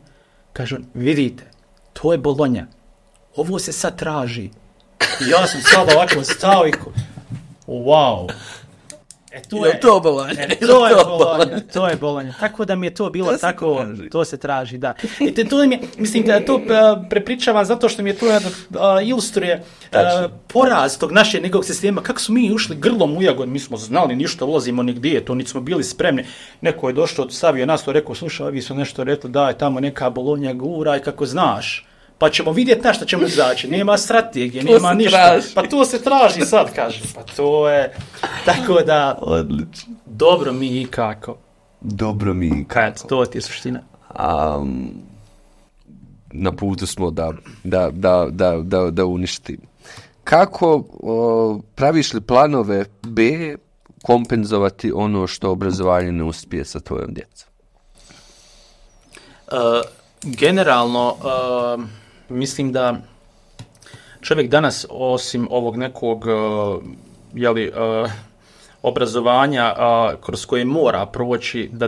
Kaže on, vidite, to je Bolonja. Ovo se sad traži. I ja sam sad ovako stao i wow. To Bolonja. To je Bolonja. Tako da mi je to bilo tako, to se traži, da. I to mi je, mislim da to prepričavam zato što mi je to ilustruje poraz tog našeg nekog sistema, kako smo mi ušli grlom u jagon, mi smo znali ništa, ulazimo nigdje, to niti smo bili spremni. Neko je došao, stavio nas to, rekao, slušaj, ovi su nešto rekli, daj, tamo neka Bolonja guraj, kako znaš. Pa ćemo vidjeti na što ćemo izaći. Nema strategije, nema ništa. Traži. Pa to se traži sad, kaže. Pa to je... Tako da... Odlično. Dobro mi i kako. Dobro mi i kako. To ti je suština. Na putu smo da uništi. Kako praviš li planove B kompenzovati ono što obrazovanje ne uspije sa tvojom djecom? Generalno... Mislim da čovjek danas, osim ovog nekog obrazovanja kroz koje mora proći, da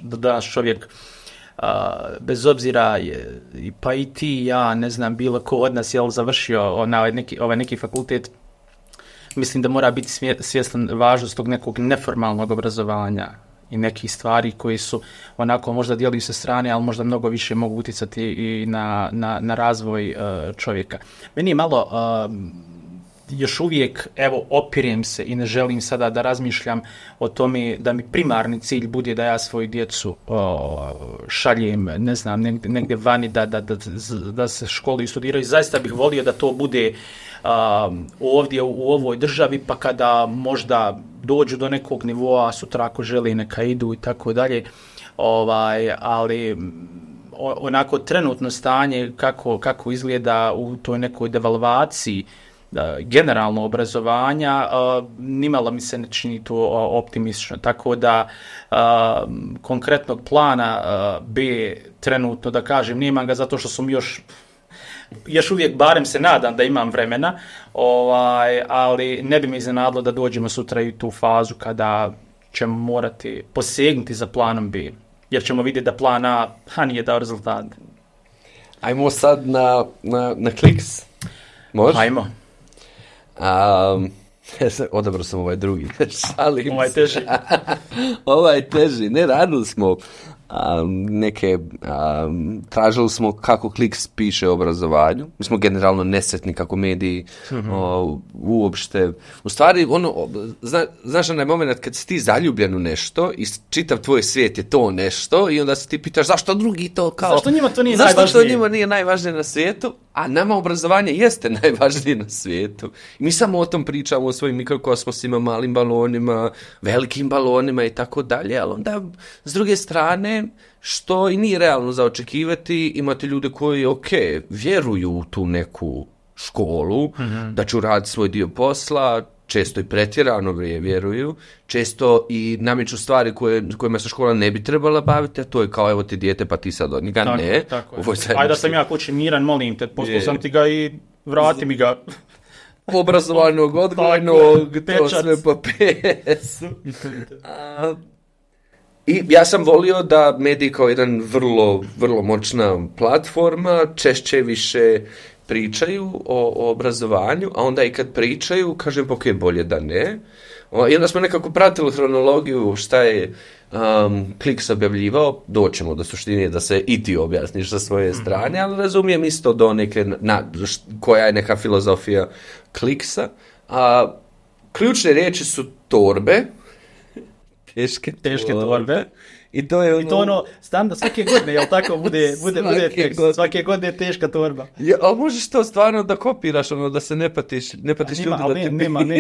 danas čovjek, bez obzira pa i ti, ja, ne znam, bilo ko od nas je završio ovaj neki fakultet, mislim da mora biti svjestan važnost tog nekog neformalnog obrazovanja i nekih stvari koji su onako možda djeluju sa strane, ali možda mnogo više mogu utjecati i na razvoj čovjeka. Meni je malo još uvijek, opirem se i ne želim sada da razmišljam o tome da mi primarni cilj bude da ja svoju djecu šaljem, ne znam, negdje vani da se školuju i studiraju. Zaista bih volio da to bude ovdje u ovoj državi, pa kada možda dođu do nekog nivoa, sutra ako želi neka idu i tako dalje, ali onako trenutno stanje kako izgleda u toj nekoj devalvaciji generalno obrazovanja, nimalo mi se ne čini to optimistično. Tako da konkretnog plana B trenutno, da kažem, nemam ga zato što sam još uvijek, barem se nadam da imam vremena, ali ne bi me iznenadilo da dođemo sutra i tu fazu kada ćemo morati posegnuti za planom B, jer ćemo vidjeti da plan A nije dao rezultat. Ajmo sad na kliks. Može? Ajmo. Odabrao sam ovaj drugi. Šalim ovaj teži. Ovaj teži. Ne, radili smo tražili smo kako Kliks piše o obrazovanju. Mi smo generalno nesretni kako mediji uopšte. U stvari, znaš onaj moment kad si ti zaljubljen u nešto i čitav tvoj svijet je to nešto i onda se ti pitaš zašto drugi to kao... Zašto njima to nije najvažnije? Zašto to njima nije najvažnije na svijetu? A nama obrazovanje jeste najvažnije na svijetu. I mi samo o tom pričamo, o svojim mikrokosmosima, malim balonima, velikim balonima i tako dalje, ali onda s druge strane, što i nije realno za očekivati, imate ljude koji, vjeruju u tu neku školu, da ću raditi svoj dio posla, često i pretjerano vjeruju, često i nameću stvari kojima se škola ne bi trebala baviti, a to je kao, evo ti dijete, pa ti sad od njega, ne. Ajde da sam ja kući miran, molim te, poslao sam ti ga i vrati mi ga. obrazovanog, odgojnog, to pečat. sve po PS-u. I ja sam volio da mediji kao jedan vrlo, vrlo moćna platforma češće više pričaju o obrazovanju, a onda i kad pričaju, kažem, ok, bolje da ne. I onda smo nekako pratili hronologiju šta je Kliks objavljivao, doćemo do suštine da se i ti objasniš sa svoje strane, ali razumijem isto do neke, koja je neka filozofija Kliksa. Ključne riječi su torbe, teške torbe. I to je ono standard svake godine, jel tako, bude tekst, svake godine je teška torba. Ja, ali možeš to stvarno da kopiraš, ono, da se ne patiš ljudi.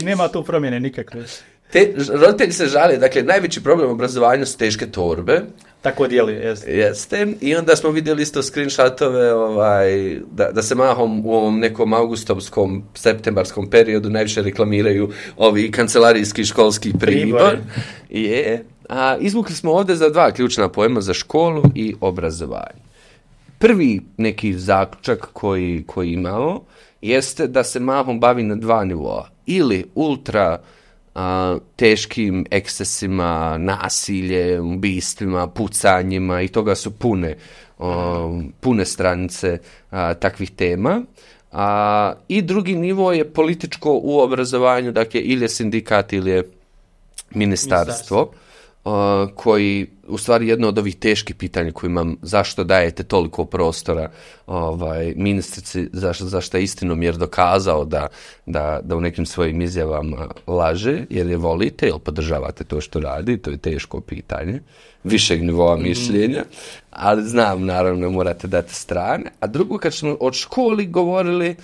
Nema tu promjene nikakve. Roditelji se žale, dakle, najveći problem u obrazovanju su teške torbe. Tako dijeli, jeste. I onda smo vidjeli isto screenshotove, da se mahom u ovom nekom augustovskom, septembarskom periodu najviše reklamiraju ovi kancelarijski školski pribor. Izvukli smo ovdje za 2 ključna pojma, za školu i obrazovanje. Prvi neki zaključak koji imamo jeste da se mahom bavi na 2 nivoa. Ili ultra teškim ekscesima, nasiljem, ubistvima, pucanjima i toga su pune stranice takvih tema. I drugi nivo je političko u obrazovanju, dakle ili je sindikat ili je ministarstvo. Koji, u stvari jedno od ovih teških pitanja koji imam, zašto dajete toliko prostora ministrici, zašto je istinomjer dokazao da u nekim svojim izjavama laže, jer je volite, jer podržavate to što radi, to je teško pitanje, višeg nivoa mišljenja, ali znam, naravno, morate dati strane. A drugo, kad smo od školi govorili,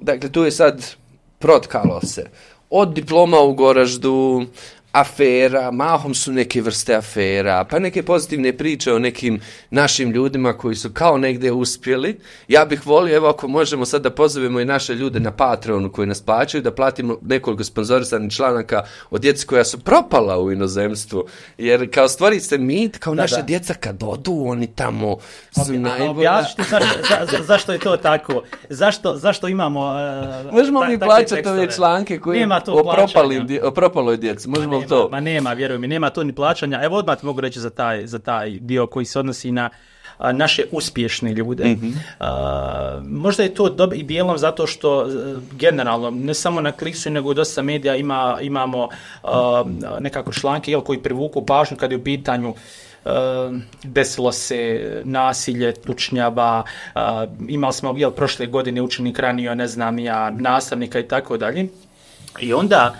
dakle, tu je sad protkalo se od diploma u Goraždu, afera, mahom su neke vrste afera, pa neke pozitivne priče o nekim našim ljudima koji su kao negdje uspjeli. Ja bih volio, evo ako možemo sad da pozovemo i naše ljude na Patreonu koji nas plaćaju, da platimo nekoliko sponzorisanih članaka od djece koja su propala u inozemstvu, jer kao stvori se mit, kao naša djeca kad odu, oni tamo su najbolji. Objasnite zašto je to tako? Zašto imamo možemo mi plaćati ove članke koji o propaloj djeci, možemo to. Ma nema, vjeruj mi, nema to ni plaćanja. Evo odmah mogu reći za taj dio koji se odnosi na naše uspješne ljude. Možda je to i dijelom zato što generalno, ne samo na Kliksu, nego u dosta medija imamo nekako članke koji privuku pažnju kad je u pitanju desilo se nasilje, tučnjava, imali smo prošle godine učenik ranio, nastavnika i tako dalje. I onda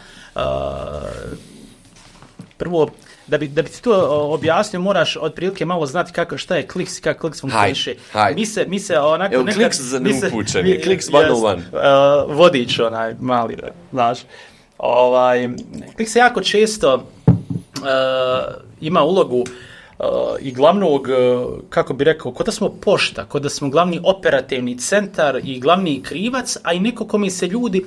prvo, da bi ti to objasnio, moraš otprilike malo znati šta je Kliks i kako Kliks funkcioniše. Mi se onako nekad... Kliks za neupućeni, Kliks 101. Vodič onaj mali, znaš. Kliks se jako često ima ulogu i glavnog, kako bi rekao, kod da smo pošta, kod da smo glavni operativni centar i glavni krivac, a i neko kome se ljudi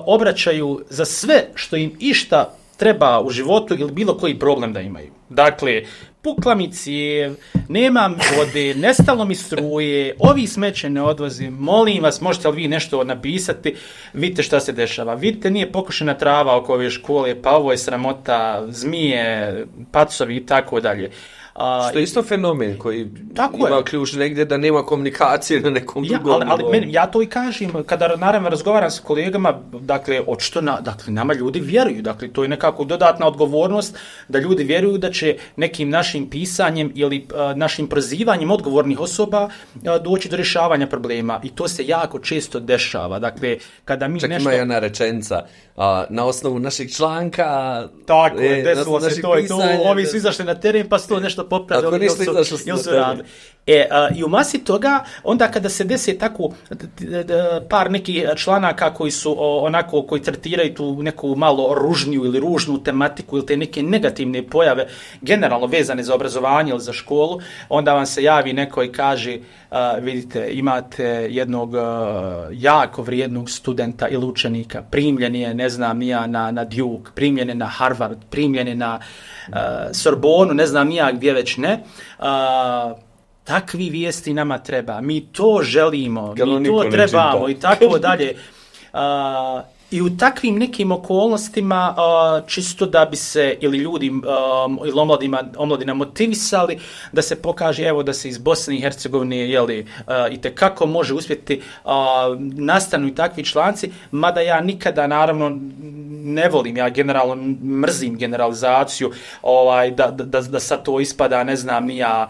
obraćaju za sve što im išta treba u životu ili bilo koji problem da imaju. Dakle, pukla mi cijev, nemam vode, nestalo mi struje, ovi smeće ne odvozim, molim vas, možete li vi nešto napisati, vidite šta se dešava. Vidite, nije pokošena trava oko ove škole, pa ovo je sramota, zmije, pacovi i tako dalje. Što je isto fenomen koji ima ključ negdje da nema komunikacije na nekom drugom. Ali ja to i kažem, kada naravno razgovaram s kolegama, dakle, nama ljudi vjeruju, dakle, to je nekako dodatna odgovornost da ljudi vjeruju da će nekim našim pisanjem ili našim prozivanjem odgovornih osoba doći do rješavanja problema i to se jako često dešava. Dakle, kada mi nešto... Ima jedna rečenica, na osnovu našeg članka... Tako, desilo se to i to, ovi su izašli na teren pa su to nešto popravili ili su radili. I u masi toga, onda kada se desi tako par nekih članaka koji su onako, koji tretiraju tu neku malo ružniju ili ružnu tematiku ili te neke negativne pojave generalno vezane za obrazovanje ili za školu, onda vam se javi neko i kaže, vidite, imate jednog jako vrijednog studenta ili učenika, primljen je, na Duke, primljen je na Harvard, primljen je na Sorbonu, gdje već ne. Takvi vijesti nama treba, mi to želimo, mi to trebamo i tako dalje. I u takvim nekim okolnostima čisto da bi se ili ljudi ili omladina motivisali da se pokaže evo da se iz Bosne i Hercegovine itekako može uspjeti nastanu i takvi članci, mada ja nikada naravno ne volim, ja generalno mrzim generalizaciju, da sad to ispada, ne znam ni ja,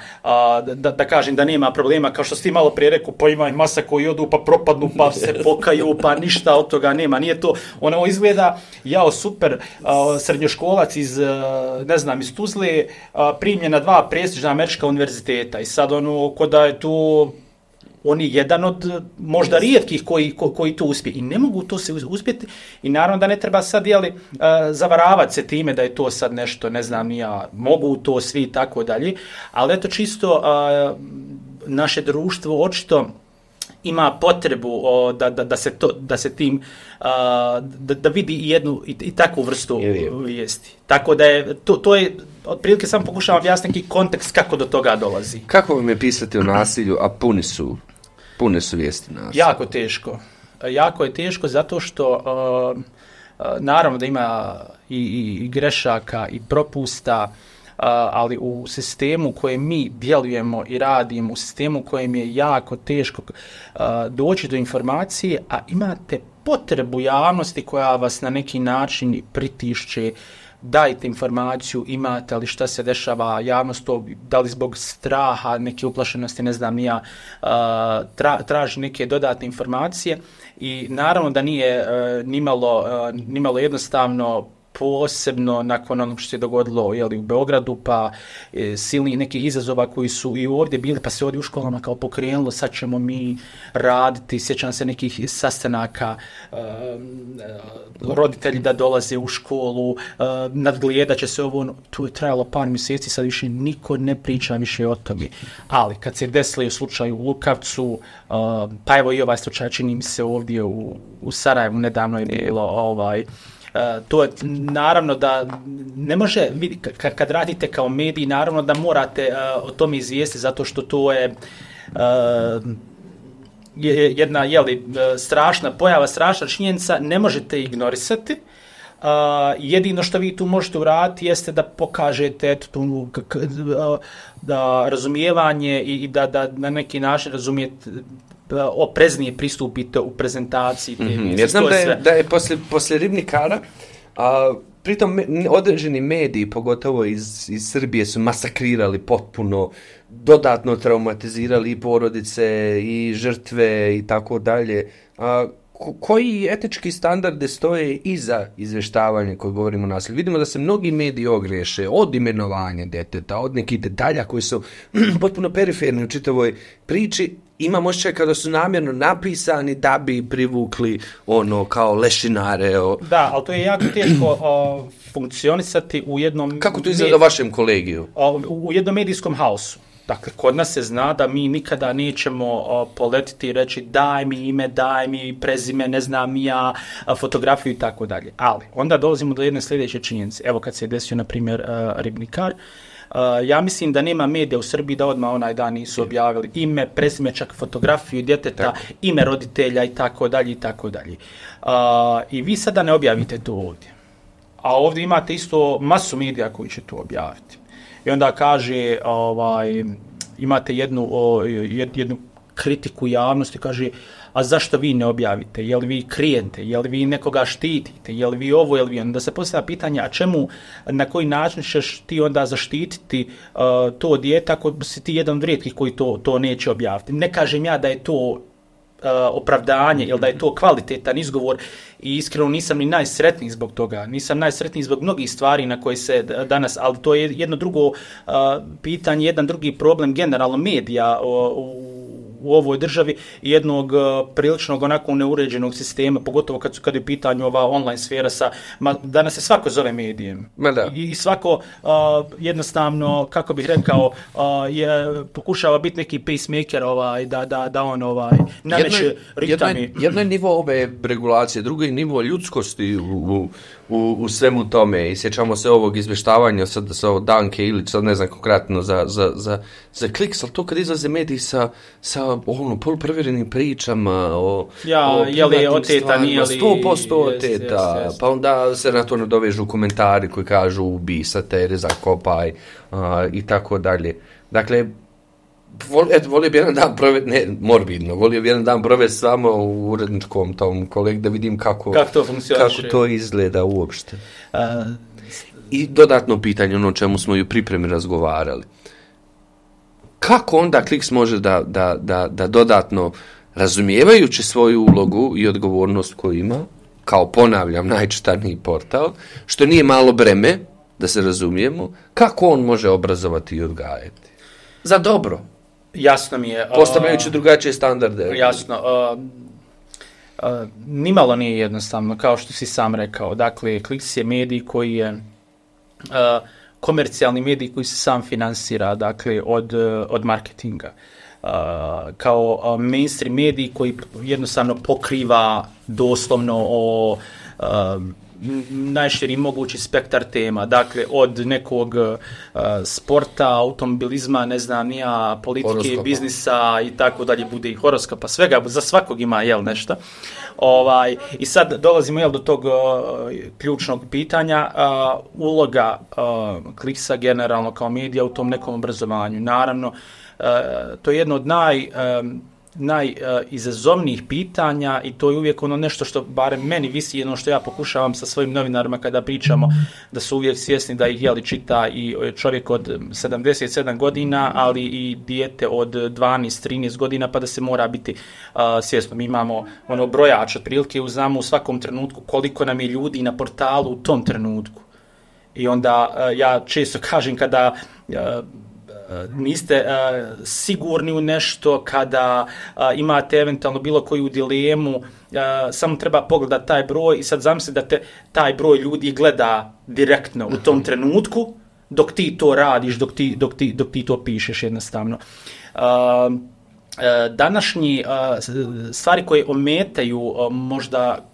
da kažem da nema problema, kao što si ti malo prije rekao, pa ima masa koji odu pa propadnu, pa se pokaju, pa ništa od toga nema, nije to, ono izgleda, super, srednjoškolac iz Tuzle, primljen na 2 prestižna američka univerziteta i sad ko da je tu on je jedan od možda rijetkih koji to uspije i ne mogu to se uspjeti i naravno da ne treba sad zavaravati se time da je to sad nešto, ne znam ni ja, mogu to svi i tako dalje, ali eto čisto naše društvo očito ima potrebu da se tim da vidi jednu i takvu vrstu vijesti. Tako da je to je otprilike samo pokušavam objasniti kontekst kako do toga dolazi. Kako vam je pisati o nasilju, a pune su vijesti nasilja? Jako teško. Jako je teško zato što naravno da ima i grešaka i propusta, ali u sistemu u kojem mi djelujemo i radimo, u sistemu u kojem je jako teško doći do informacije, a imate potrebu javnosti koja vas na neki način pritišće, dajte informaciju, imate li šta se dešava, javnost to, da li zbog straha, neke uplašenosti, ne znam ni ja, traži neke dodatne informacije i naravno da nije nimalo jednostavno, posebno nakon onog što se dogodilo u Beogradu, pa silni nekih izazova koji su i ovdje bili, pa se ovdje u školama kao pokrenulo, sad ćemo mi raditi, sjećam se nekih sastanaka, roditelji da dolaze u školu, nadgledat će se ovo, tu je trajalo par mjeseci, sad više niko ne priča više o tome. Ali kad se desilo u slučaju u Lukavcu, pa evo i ovaj slučaj čini mi se ovdje u Sarajevu, nedavno je bilo to je naravno da ne može, kad radite kao mediji, naravno da morate o tome izvijesti zato što to je jedna strašna pojava, strašna činjenica, ne možete ignorisati. Jedino što vi tu možete uraditi jeste da pokažete da razumijevanje i da na neki način razumijete, opreznije pristupite u prezentaciji te vijesti. Jer znam da je poslije Ribnikara, pritom određeni mediji, pogotovo iz Srbije, su masakrirali potpuno, dodatno traumatizirali i porodice i žrtve i tako dalje. Koji etički standarde stoje iza izvještavanja koje govorimo o nasilju? Vidimo da se mnogi mediji ogriješe od imenovanja djeteta, od nekih detalja koji su potpuno periferni u čitavoj priči. Imam osjećaj kada su namjerno napisani da bi privukli kao lešinare. Da, ali to je jako teško funkcionisati u jednom... Kako to izgleda u vašem kolegiju? U jednom medijskom haosu. Dakle, kod nas se zna da mi nikada nećemo poletiti i reći daj mi ime, daj mi prezime, ne znam ja, fotografiju i tako dalje. Ali, onda dolazimo do jedne sljedeće činjenice. Evo kad se desio, na primjer, Ribnikar, ja mislim da nema medija u Srbiji da odmah onaj dan nisu objavili ime, prezime, čak fotografiju djeteta, ime roditelja i tako dalje i tako dalje. I vi sada ne objavite to ovdje. A ovdje imate isto masu medija koji će to objaviti. I onda kaže, imate jednu kritiku javnosti, kaže, a zašto vi ne objavite? Je li vi krijete? Je li vi nekoga štitite? Je li vi ovo? Je li vi ono? Da se postavlja pitanje, a čemu, na koji način ćeš ti onda zaštititi to dijete ako si ti jedan od rijetkih koji to neće objaviti? Ne kažem ja da je to opravdanje ili da je to kvalitetan izgovor i iskreno nisam ni najsretniji zbog toga. Nisam najsretniji zbog mnogih stvari na koje se danas, ali to je jedno drugo pitanje, jedan drugi problem generalno medija u ovoj državi i jednog priličnog onako neuređenog sistema, pogotovo kad je u pitanju ova online sfera danas se svako zove medijem. I svako jednostavno, kako bih rekao, pokušava biti neki pacemaker da on nameće ritami. Jedno je nivo ove regulacije, drugo je nivo ljudskosti u svemu tome. I sjećamo se ovog izvještavanja sad Danke Ilić, sad ne znam konkretno za Kliks, ali to kad izlaze mediji sa poluprovjerenim pričama o je li oteta, nije li 100% oteta, pa onda se na to nadovežu komentari koji kažu ubi sa tere, zakopaj i tako dalje. Dakle, volio bi jedan dan volio bi jedan dan provesti samo u uredničkom tom kolegu da vidim kako to izgleda uopšte. I dodatno pitanje, ono o čemu smo i u pripremi razgovarali. Kako onda Kliks može da dodatno, razumijevajući svoju ulogu i odgovornost koju ima, kao ponavljam, najčitaniji portal, što nije malo breme, da se razumijemo, kako on može obrazovati i odgajati? Za dobro. Jasno mi je. Postavljajući drugačije standarde. Jasno. Nimalo nije jednostavno, kao što si sam rekao. Dakle, Kliks je medij koji je komercijalni medij koji se sam finansira, dakle, od marketinga. Kao mainstream medij koji jednostavno pokriva doslovno najširi mogući spektar tema, dakle od nekog sporta, automobilizma, ne znam, nija politike, horoskopa, biznisa i tako dalje, bude i horoskopa, svega, za svakog ima nešto. I sad dolazimo do tog ključnog pitanja, uloga Kliksa generalno kao medija u tom nekom obrazovanju. Naravno, to je jedno od najizazovnijih pitanja i to je uvijek ono nešto što barem meni visi, jedno što ja pokušavam sa svojim novinarima kada pričamo, da su uvijek svjesni da ih čita i čovjek od 77 godina, ali i dijete od 12-13 godina, pa da se mora biti svjesno. Mi imamo brojač otprilike, znamo u svakom trenutku koliko nam je ljudi na portalu u tom trenutku. I onda ja često kažem kada niste sigurni u nešto, kada imate eventualno bilo koju dilemu, samo treba pogledati taj broj i sad zamisli da te taj broj ljudi gleda direktno u tom trenutku dok ti to radiš, dok ti to pišeš jednostavno. Današnji stvari koje ometaju možda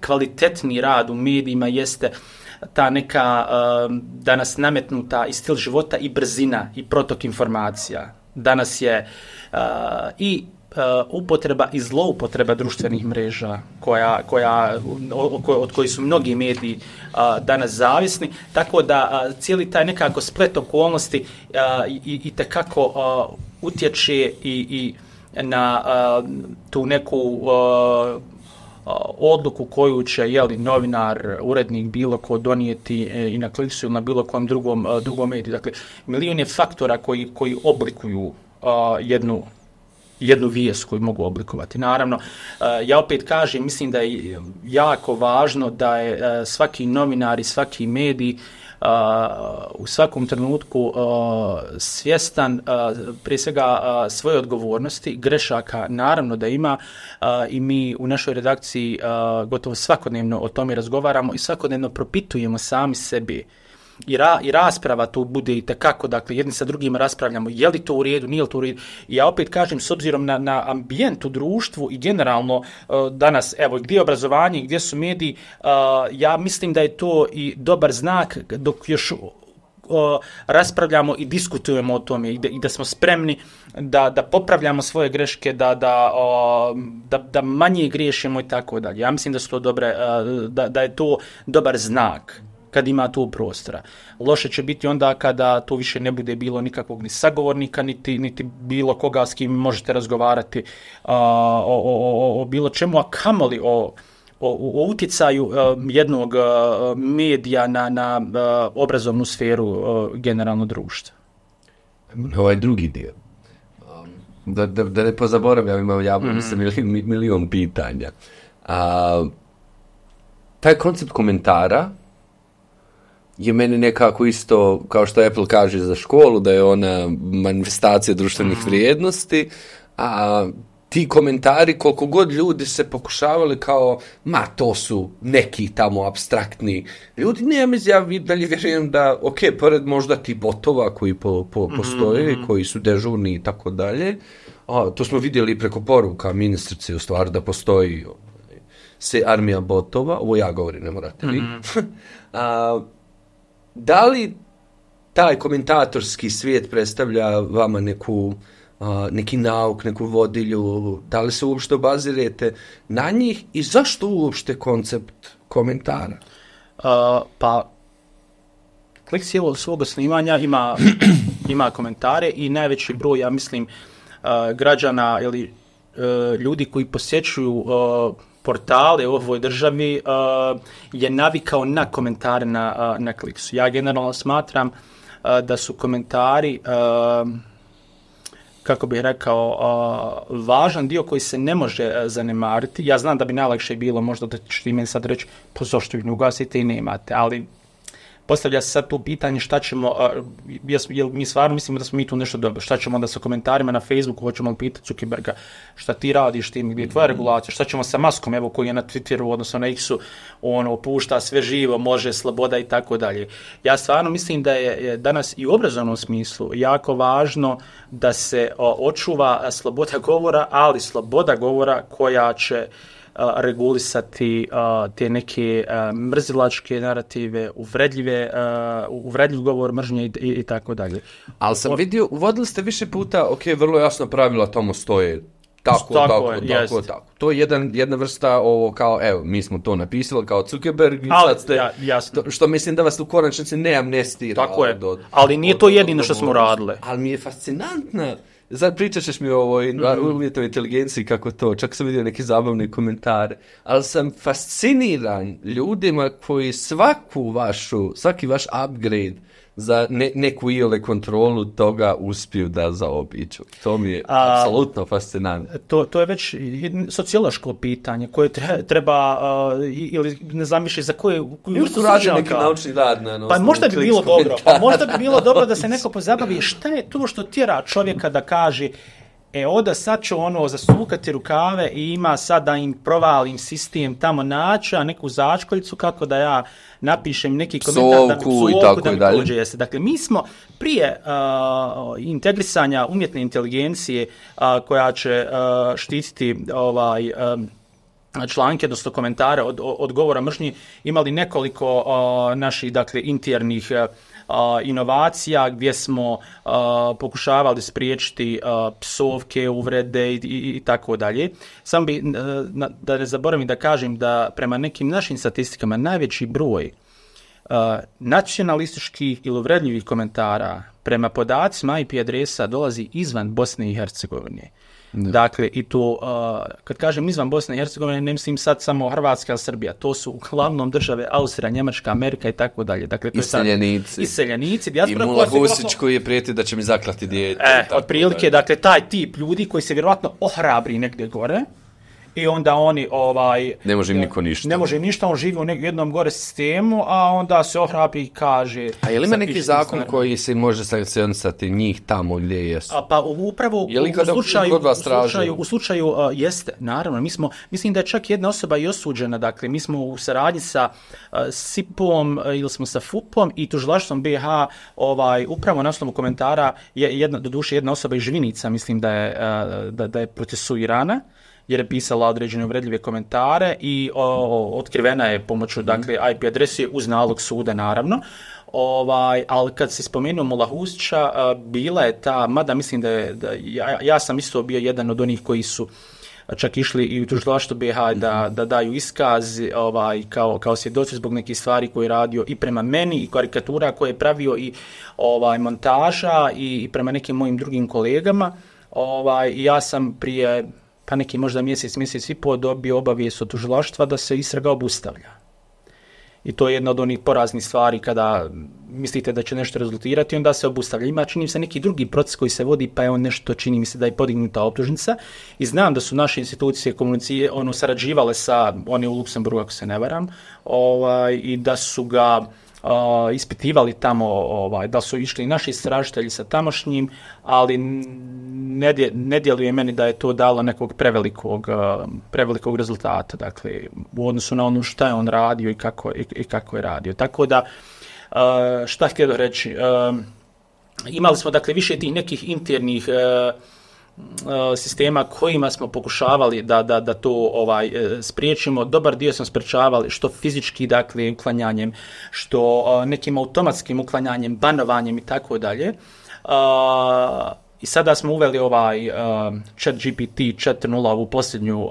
kvalitetni rad u medijima jeste ta neka danas nametnuta i stil života i brzina i protok informacija. Danas je i upotreba i zloupotreba društvenih mreža od kojih su mnogi mediji danas zavisni, tako da cijeli taj nekako splet okolnosti itekako utječe i na tu neku odluku koju će novinar, urednik, bilo ko donijeti i na Kliksu ili na bilo kojem drugom mediju. Dakle, milion je faktora koji oblikuju jednu vijest koju mogu oblikovati. Naravno, ja opet kažem, mislim da je jako važno da je svaki novinar i svaki medij u svakom trenutku svjestan prije svega svoje odgovornosti, grešaka naravno da ima i mi u našoj redakciji gotovo svakodnevno o tome razgovaramo i svakodnevno propitujemo sami sebi. I rasprava tu bude itekako, dakle, jedni sa drugima raspravljamo je li to u redu, nije li to u redu. I ja opet kažem, s obzirom na ambijent u društvu i generalno danas, evo, gdje je obrazovanje, gdje su mediji, ja mislim da je to i dobar znak dok još raspravljamo i diskutujemo o tome i da smo spremni da popravljamo svoje greške, da manje griješimo i tako dalje. Ja mislim da su to da je to dobar znak kad ima tu prostora. Loše će biti onda kada tu više ne bude bilo nikakvog ni sagovornika, niti bilo koga s kim možete razgovarati o bilo čemu, a kamoli o utjecaju jednog medija na obrazovnu sferu generalno društva. Ovaj drugi dio. Da ne pozaboravim, ja milion pitanja. Taj koncept komentara je meni nekako isto, kao što Apple kaže za školu, da je ona manifestacija društvenih vrijednosti, a ti komentari, koliko god ljudi se pokušavali kao, to su neki tamo apstraktni ljudi, ja dalje vjerujem da, pored možda ti botova koji postoje, koji su dežurni i tako dalje, to smo vidjeli preko poruka ministrice u stvari da postoji se armija botova, ovo ja govorim, ne morate vi. Da li taj komentatorski svijet predstavlja vama neku neki nauk, neku vodilju, da li se uopšte obazirete na njih i zašto uopšte koncept komentara? Pa, Kliks od svog snimanja ima komentare i najveći broj, ja mislim, građana ili ljudi koji posjećuju portale u ovoj državi je navikao na komentare na Kliksu. Ja generalno smatram da su komentari, kako bih rekao, važan dio koji se ne može zanemariti. Ja znam da bi najlakše bilo, možda da ćete ti meni sad reći, pa zašto ih ne ugasite i nemate, ali postavlja se sad tu pitanje šta ćemo, jel mi stvarno mislimo da smo mi tu nešto dobro, šta ćemo onda sa komentarima na Facebooku, hoćemo li pitati Zuckerberga šta ti radiš, tim, gdje je tvoja regulacija, šta ćemo sa Muskom, evo koji je na Twitteru, odnosno na X-u, pušta sve živo, može, sloboda i tako dalje. Ja stvarno mislim da je danas i u obrazovnom smislu jako važno da se očuva sloboda govora, ali sloboda govora koja će regulisati te neke mrzilačke narative, uvredljiv govor, mržnje i tako dalje. Ali sam vidio, uvodili ste više puta, vrlo jasno pravila tomu stoje. Tako. To je jedna vrsta ovo kao, evo, mi smo to napisali kao Zuckerberg, što mislim da vas u konačnici ne amnestira. Tako je, ali nije to jedino što smo radili. Ali mi je fascinantna. Sad pričat ćeš mi o ovoj umjetnoj inteligenciji kako to, čak sam vidio neke zabavne komentare, ali sam fasciniran ljudima koji svaki vaš upgrade za neku iole kontrolu toga uspiju da zaobiđu. To mi je apsolutno fascinantno. To je već sociološko pitanje koje treba, ili ne znam više za koje... Još radi neki naučni rad. Pa možda bi bilo dobro da se neko pozabavi šta je to što tjera čovjeka da kaže oda sad ću zasukati rukave i ima sad da im provalim sistem tamo naći, a neku začkoljicu kako da ja napišem neki komentar da mi pođe jeste. Dakle, mi smo prije integrisanja umjetne inteligencije koja će štititi članke, odnosno komentare od govora mržnje, imali nekoliko naših, dakle, internih inovacija gdje smo pokušavali spriječiti psovke, uvrede i tako dalje. Samo bi, da ne zaboravim da kažem da prema nekim našim statistikama najveći broj nacionalističkih ili uvredljivih komentara prema podacima IP adresa dolazi izvan Bosne i Hercegovine. Dakle, i to, kad kažem izvan Bosne i Hercegovine, ne mislim sad samo Hrvatska ili Srbija, to su uglavnom države Austrija, Njemačka, Amerika i tako dalje. Dakle, to iseljenici. I Mula Husić koji je prijeti da će mi zaklati dijete. Otprilike, dakle, taj tip ljudi koji se vjerojatno ohrabri negdje gore, i onda oni ne može im niko ništa. Ne može im ništa, on živi u jednom gore sistemu, a onda se ohrabri i kaže... A je li ima neki zakon koji se može sankcionisati njih tamo gdje jesu? Pa upravo u slučaju jeste, naravno. Mislim da je čak jedna osoba i osuđena, dakle, mi smo u saradnji sa SIP-om ili smo sa FUP-om i tužilaštvom BiH upravo na osnovu komentara doduše jedna osoba iz Živinica, mislim da je procesuirana, jer je pisala određene uvredljive komentare i otkrivena je pomoću, dakle, IP adrese uz nalog suda, naravno. Ali kad se spomenuo Mula Husića, bila je ta, mada mislim ja sam isto bio jedan od onih koji su čak išli i u tužilaštvo BiH da daju iskaz kao svjedoci zbog nekih stvari koje je radio i prema meni i karikatura koje je pravio i montaža i prema nekim mojim drugim kolegama. Ja sam prije pa neki možda mjesec i pol dobio obavijest od tužilaštva da se istraga obustavlja. I to je jedna od onih poraznih stvari kada mislite da će nešto rezultirati, onda se obustavlja. Ima, čini mi se, neki drugi proces koji se vodi, pa je on nešto, čini mi se da je podignuta optužnica. I znam da su naše institucije komunicije sarađivale sa, oni u Luksemburgu, ako se ne varam, i da su ga ispitivali tamo, da su išli naši istražitelji sa tamošnjim, ali ne djeluje meni da je to dalo nekog prevelikog rezultata, dakle, u odnosu na ono šta je on radio i kako je radio. Tako da, šta htio reći, imali smo, dakle, više tih nekih internih sistema kojima smo pokušavali da to spriječimo. Dobar dio smo spriječavali što fizički, dakle, uklanjanjem, što nekim automatskim uklanjanjem, banovanjem i tako dalje. I sada smo uveli ovaj ChatGPT 4.0, ovu posljednju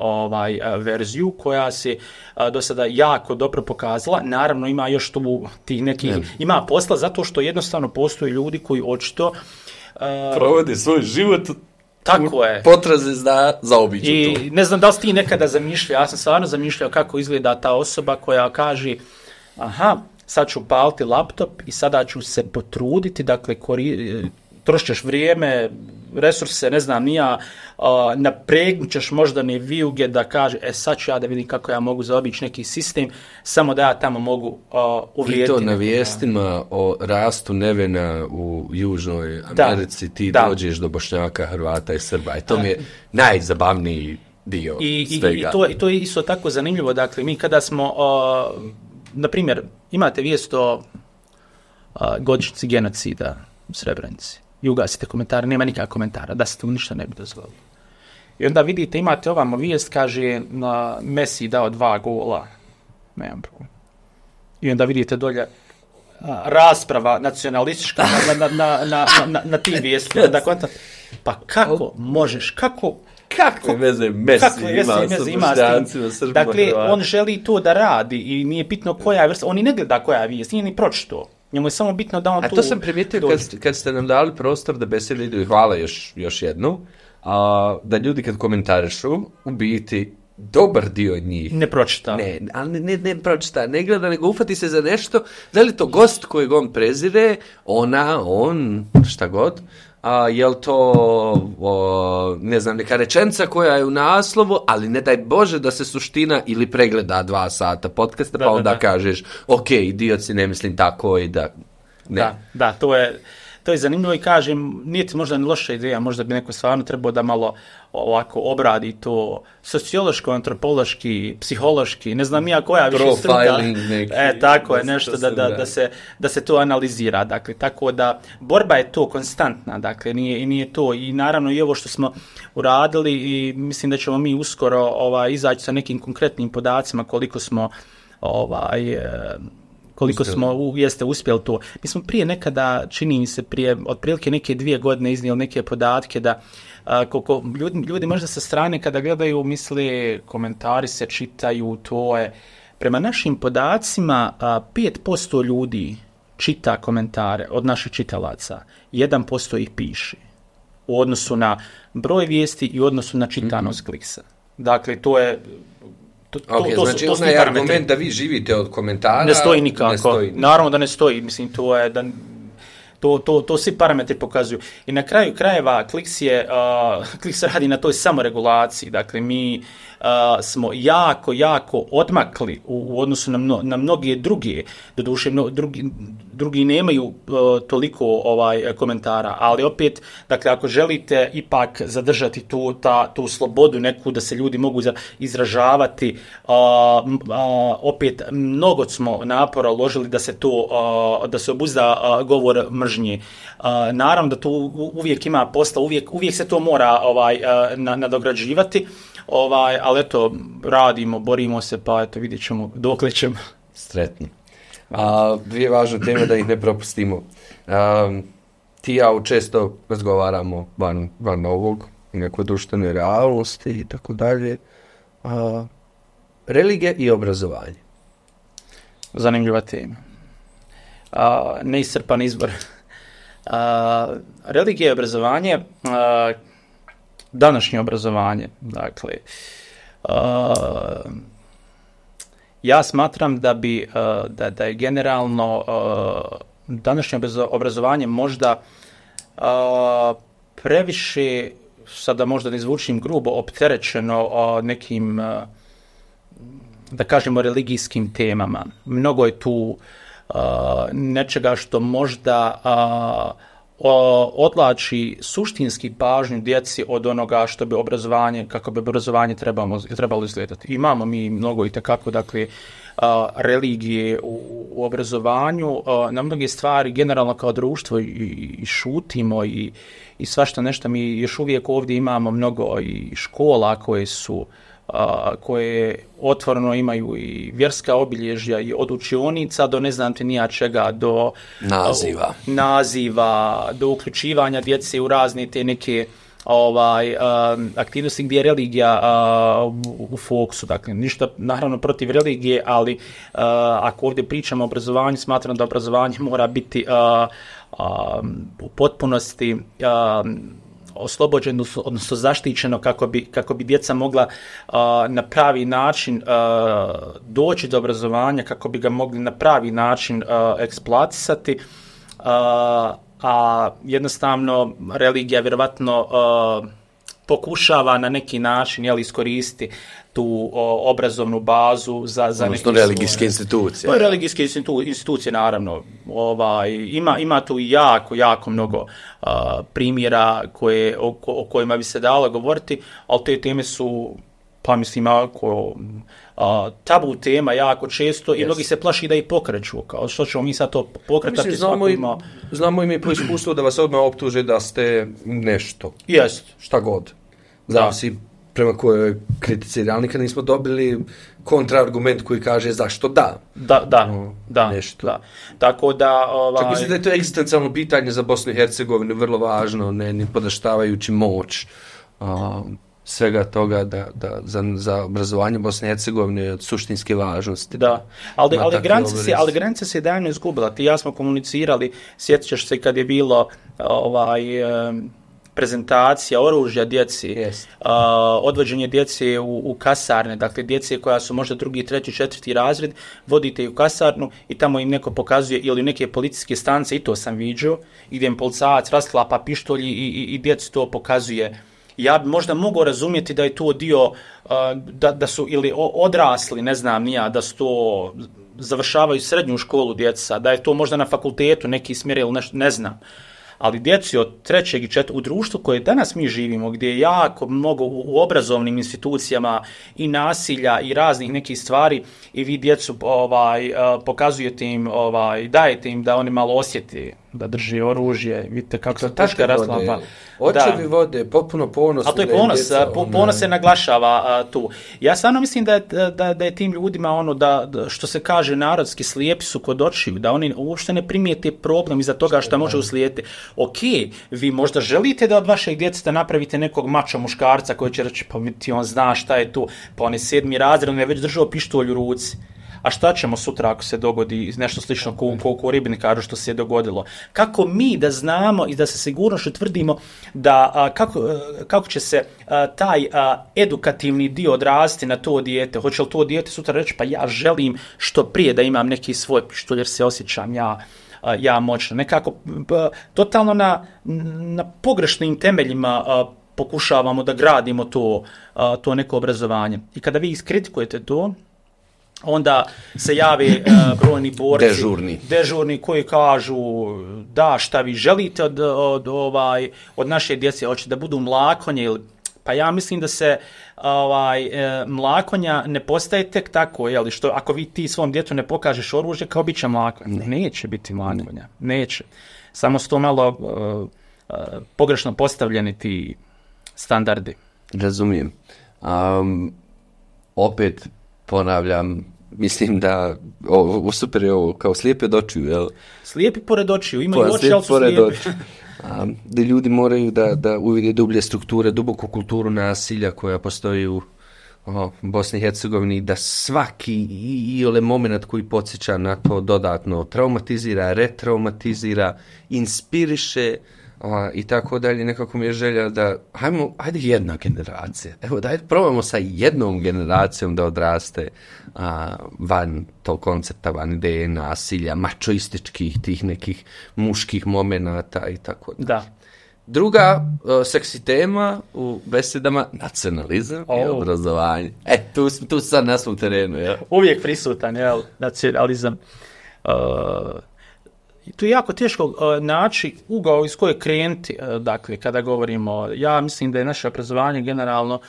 verziju koja se do sada jako dobro pokazala. Naravno ima još tu tih nekih, ima posla zato što jednostavno postoje ljudi koji očito provode svoj život tako je. Potraze za obiđu to. I ne znam da li si ti nekada zamišljao, ja sam stvarno zamišljao kako izgleda ta osoba koja kaže aha, sad ću paliti laptop i sada ću se potruditi, dakle trošiš vrijeme, resurse, ne znam, napregnut ćeš moždane vijuge da kaže, sad ću ja da vidim kako ja mogu zaobići neki sistem, samo da ja tamo mogu uvrijediti. I to na vijestima o rastu nevena u Južnoj Americi, ti dođeš do Bošnjaka, Hrvata i Srba. I to mi je najzabavniji dio svega. I to je isto tako zanimljivo. Dakle, mi kada smo, na primjer, imate vijest o godišnjici genocida u Srebrenici. I ugasite komentare, nema nikakvog komentara, da se tu ništa ne bi dozvolilo. I onda vidite, imate ovamo vijest, kaže, Messi dao 2 gola. Nemam problem. I onda vidite dolje rasprava nacionalistička na tim vijestima. Pa kako možeš, kakve veze Messi ima sa Bošnjacima, Srbima, dakle, Hrvata. on želi to da radi i nije bitno koja je vrsta, on i ne gleda koja je vijest, nije ni pročito. Njemu je samo bitno da on tu... A to sam primijetio kad ste nam dali prostor da besede idu i hvala još jednu, da ljudi kad komentarišu, u biti dobar dio njih ne pročita. Ne pročita, ne gleda, nego ufati se za nešto, da li to gost kojeg on prezire, on, šta god, je li to, ne znam, neka rečenica koja je u naslovu, ali ne daj Bože da se suština ili pregleda 2 sata podcasta, pa onda kažeš, ok, idiot si, ne mislim tako i da... Ne. Da, to je zanimljivo i kažem, nije ti možda ni loša ideja, možda bi neko stvarno trebao da malo ovako obradi to sociološko, antropološki, psihološki, ne znam ja koja više struka. Profiling neki. Tako je, nešto da se to analizira. Dakle, tako da borba je to konstantna, dakle, nije to. I naravno i ovo što smo uradili i mislim da ćemo mi uskoro izaći sa nekim konkretnim podacima koliko smo jeste uspjeli to. Mi smo prije nekada, čini mi se prije otprilike neke 2 godine iznijeli neke podatke da koliko ljudi možda sa strane kada gledaju misle komentari se čitaju, to je prema našim podacima 5% ljudi čita komentare od naših čitalaca, 1% ih piše u odnosu na broj vijesti i u odnosu na čitanost kliksa. Dakle, to je znači onaj argument da vi živite od komentara ne stoji nikako. Naravno da ne stoji, mislim to je da to svi parametri pokazuju. I na kraju krajeva Kliks radi na toj samoregulaciji. Dakle, mi smo jako odmakli u odnosu na mnoge druge. Doduše, drugi nemaju toliko komentara, ali opet, dakle, ako želite ipak zadržati tu slobodu neku da se ljudi mogu izražavati, opet mnogo smo napora uložili da se obuzda govor mržnje. Naravno da tu uvijek ima posla, uvijek se to mora nadograđivati, ali eto, radimo, borimo se, pa eto, vidjet ćemo dokle ćemo. Sretno. 2 važne teme da ih ne propustimo. Ti i ja često razgovaramo van ovog, nekoj društvenoj realnosti i tako dalje. Religija i obrazovanje. Zanimljiva tema. Neiscrpan izbor. Religija i obrazovanje, današnje obrazovanje, dakle, ja smatram da je generalno današnje obrazovanje možda previše, sada možda ne zvučim grubo, opterećeno nekim, da kažemo, religijskim temama. Mnogo je tu nečega što možda odlači suštinski pažnju djeci od onoga što bi obrazovanje, kako bi obrazovanje trebalo izgledati. Imamo mi mnogo itekako, dakle, religije u obrazovanju, na mnoge stvari generalno kao društvo i šutimo i svašta nešto. Mi još uvijek ovdje imamo mnogo i škola koje su koje otvoreno imaju i vjerska obilježja i od učionica do ne znam ti nija čega, do naziva, do uključivanja djece u razne te neke aktivnosti gdje je religija u fokusu. Dakle, ništa naravno protiv religije, ali ako ovdje pričamo o obrazovanju, smatram da obrazovanje mora biti u potpunosti oslobođeno, odnosno zaštićeno kako bi djeca mogla na pravi način doći do obrazovanja, kako bi ga mogli na pravi način eksploatisati, a jednostavno religija vjerovatno pokušava na neki način iskoristiti tu obrazovnu bazu za neke religijske institucije. To je religijske institucije, naravno. Ima tu jako mnogo primjera o kojima bi se dalo govoriti, ali te teme su, pa mislim, tabu tema jako često i mnogi se plaši da ih pokreću. Kao što ćemo mi sad to pokretati? Mislim, znamo i mi po iskustvu da vas odmah optuže da ste nešto. Jest. Šta god. Znam si prema kojoj kritici, ali nikad nismo dobili kontraargument koji kaže zašto da. Nešto. Da. Tako da... Čak mislim da je to egzistencijalno pitanje za Bosnu i Hercegovinu, vrlo važno, ne podaštavajući moć svega toga da za obrazovanje Bosne i Hercegovine je od suštinske važnosti. Da, ali granice se davno izgubila. Ti i ja smo komunicirali, sjetit ćeš se kad je bilo prezentacija oružja djeci, odvođenje djece u kasarne, dakle djece koja su možda 2., 3., 4. razred, vodite u kasarnu i tamo im neko pokazuje, ili neke policijske stanice, i to sam viđao, gdje im policajac rasklapa pištolj i djeci to pokazuje. Ja bi možda mogao razumjeti da je to dio, da su ili odrasli, ne znam nija, da su to završavaju srednju školu djeca, da je to možda na fakultetu neki smjer ili nešto, ne znam. Ali djeci od 3. i 4. u društvu koje danas mi živimo, gdje je jako mnogo u obrazovnim institucijama i nasilja i raznih nekih stvari, i vi djecu pokazujete im, dajete im da oni malo osjeti da drži oružje, vidite kako se puška raslapa. Očevi vode, potpuno ponos. A to je ponos se naglašava tu. Ja stvarno mislim da je tim ljudima da što se kaže narodski, slijepi su kod očiju, da oni uopšte ne primijete problem iza toga što može uslijediti. Ok, vi možda želite da od vašeg djeteta napravite nekog mača muškarca koji će reći, pa ti on zna šta je tu, pa on je 7. razred, on je već držao pištolj u ruci. A šta ćemo sutra ako se dogodi nešto slično ko ribnikaru što se je dogodilo? Kako mi da znamo i da se sigurnošću tvrdimo da kako će se taj edukativni dio odrasti na to dijete? Hoće li to dijete sutra reći, pa ja želim što prije da imam neki svoj pištolj jer se osjećam ja moćno. Nekako totalno na pogrešnim temeljima pokušavamo da gradimo to neko obrazovanje. I kada vi iskritikujete to, onda se jave brojni borci, dežurni koji kažu da šta vi želite od naše djece, hoće da budu mlakonje ili... Pa ja mislim da se mlakonja ne postaje tek tako, što ako ti svom djetu ne pokažeš oružje, kao bit će mlakonja. Neće biti mlakonja, neće. Samo su to malo pogrešno postavljeni ti standardi. Razumijem. Opet ponavljam, mislim da super je ovo, kao slijepi od očiju, jel? Slijepi pored očiju, imaju oči, ali su slijepi. Da ljudi moraju da uvide dublje strukture, duboku kulturu nasilja koja postoji u Bosni i Hercegovini, da svaki iole moment koji podsjeća na to dodatno traumatizira, retraumatizira, inspiriše, i tako dalje. Nekako mi je želja da ajde jedna generacija, probamo sa jednom generacijom da odraste van tog koncepta, van ideje nasilja, mačoističkih tih nekih muških momenata i tako dalje. Da. Druga seksi tema u besedama, nacionalizam i obrazovanje. Tu sad na svom terenu. Ja. Uvijek prisutan, nacionalizam. Tu je jako teško naći ugao iz koje krenuti, dakle, kada govorimo. Ja mislim da je naše obrazovanje generalno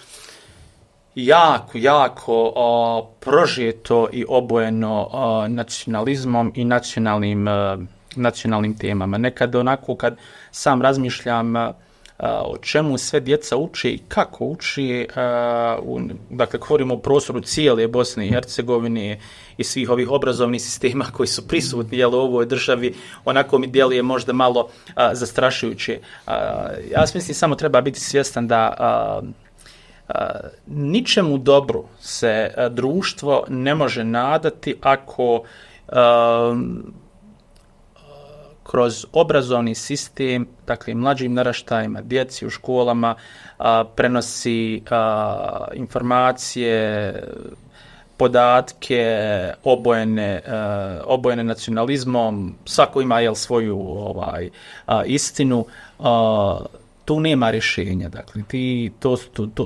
jako prožeto i obojeno nacionalizmom i nacionalnim temama. Nekad onako kad sam razmišljam o čemu sve djeca uče i kako uče, dakle, govorimo o prostoru cijele Bosne i Hercegovine i svih ovih obrazovnih sistema koji su prisutni u ovoj državi, onako mi djeluje možda malo zastrašujuće. Ja mislim samo treba biti svjestan da ničemu dobru se društvo ne može nadati ako kroz obrazovni sistem, dakle mlađim naraštajima, djeci u školama, prenosi informacije, podatke obojene nacionalizmom, svako ima svoju istinu, tu nema rješenja. Dakle,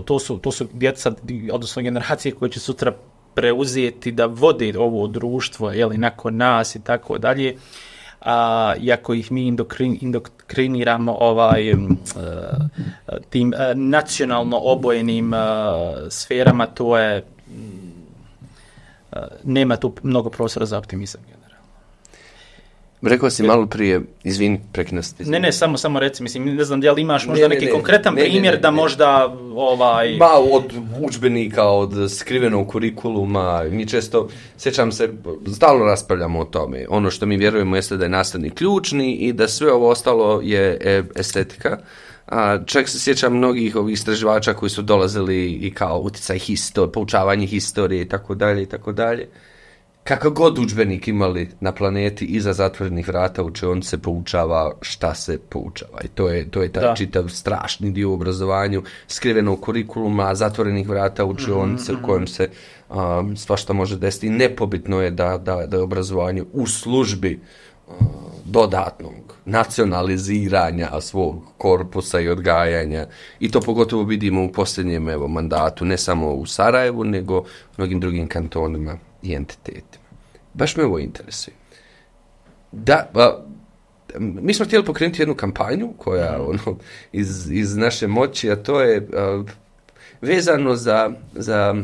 to su djeca, odnosno generacije koje će sutra preuzeti da vode ovo društvo, nakon nas i tako dalje. Iako ih mi indoktriniramo tim nacionalno obojenim sferama, to je nema tu mnogo prostora za optimizam generalno. Rekao si malo prije, izvini, preknosti. Ne, samo reci, mislim, ne znam da li imaš možda neki konkretan primjer da možda od udžbenika, od skrivenog kurikuluma, mi često, sjećam se, stalno raspravljamo o tome. Ono što mi vjerujemo jeste da je nastavnik ključni i da sve ovo ostalo je estetika. Čak se sjećam mnogih ovih istraživača koji su dolazili i kao utjecaj poučavanje historije i tako dalje. Kakav god udžbenik imali na planeti, iza zatvorenih vrata učionice se poučava šta se poučava. I to je taj čitav strašni dio u obrazovanju, skrivenog kurikuluma, zatvorenih vrata učionice u kojem se svašta može desiti. Nepobitno je da je obrazovanje u službi dodatnog nacionaliziranja svog korpusa i odgajanja. I to pogotovo vidimo u posljednjem mandatu, ne samo u Sarajevu, nego u mnogim drugim kantonima i entitetima. Baš me ovo interesuje. Mi smo htjeli pokrenuti jednu kampanju koja iz naše moći, a to je vezano za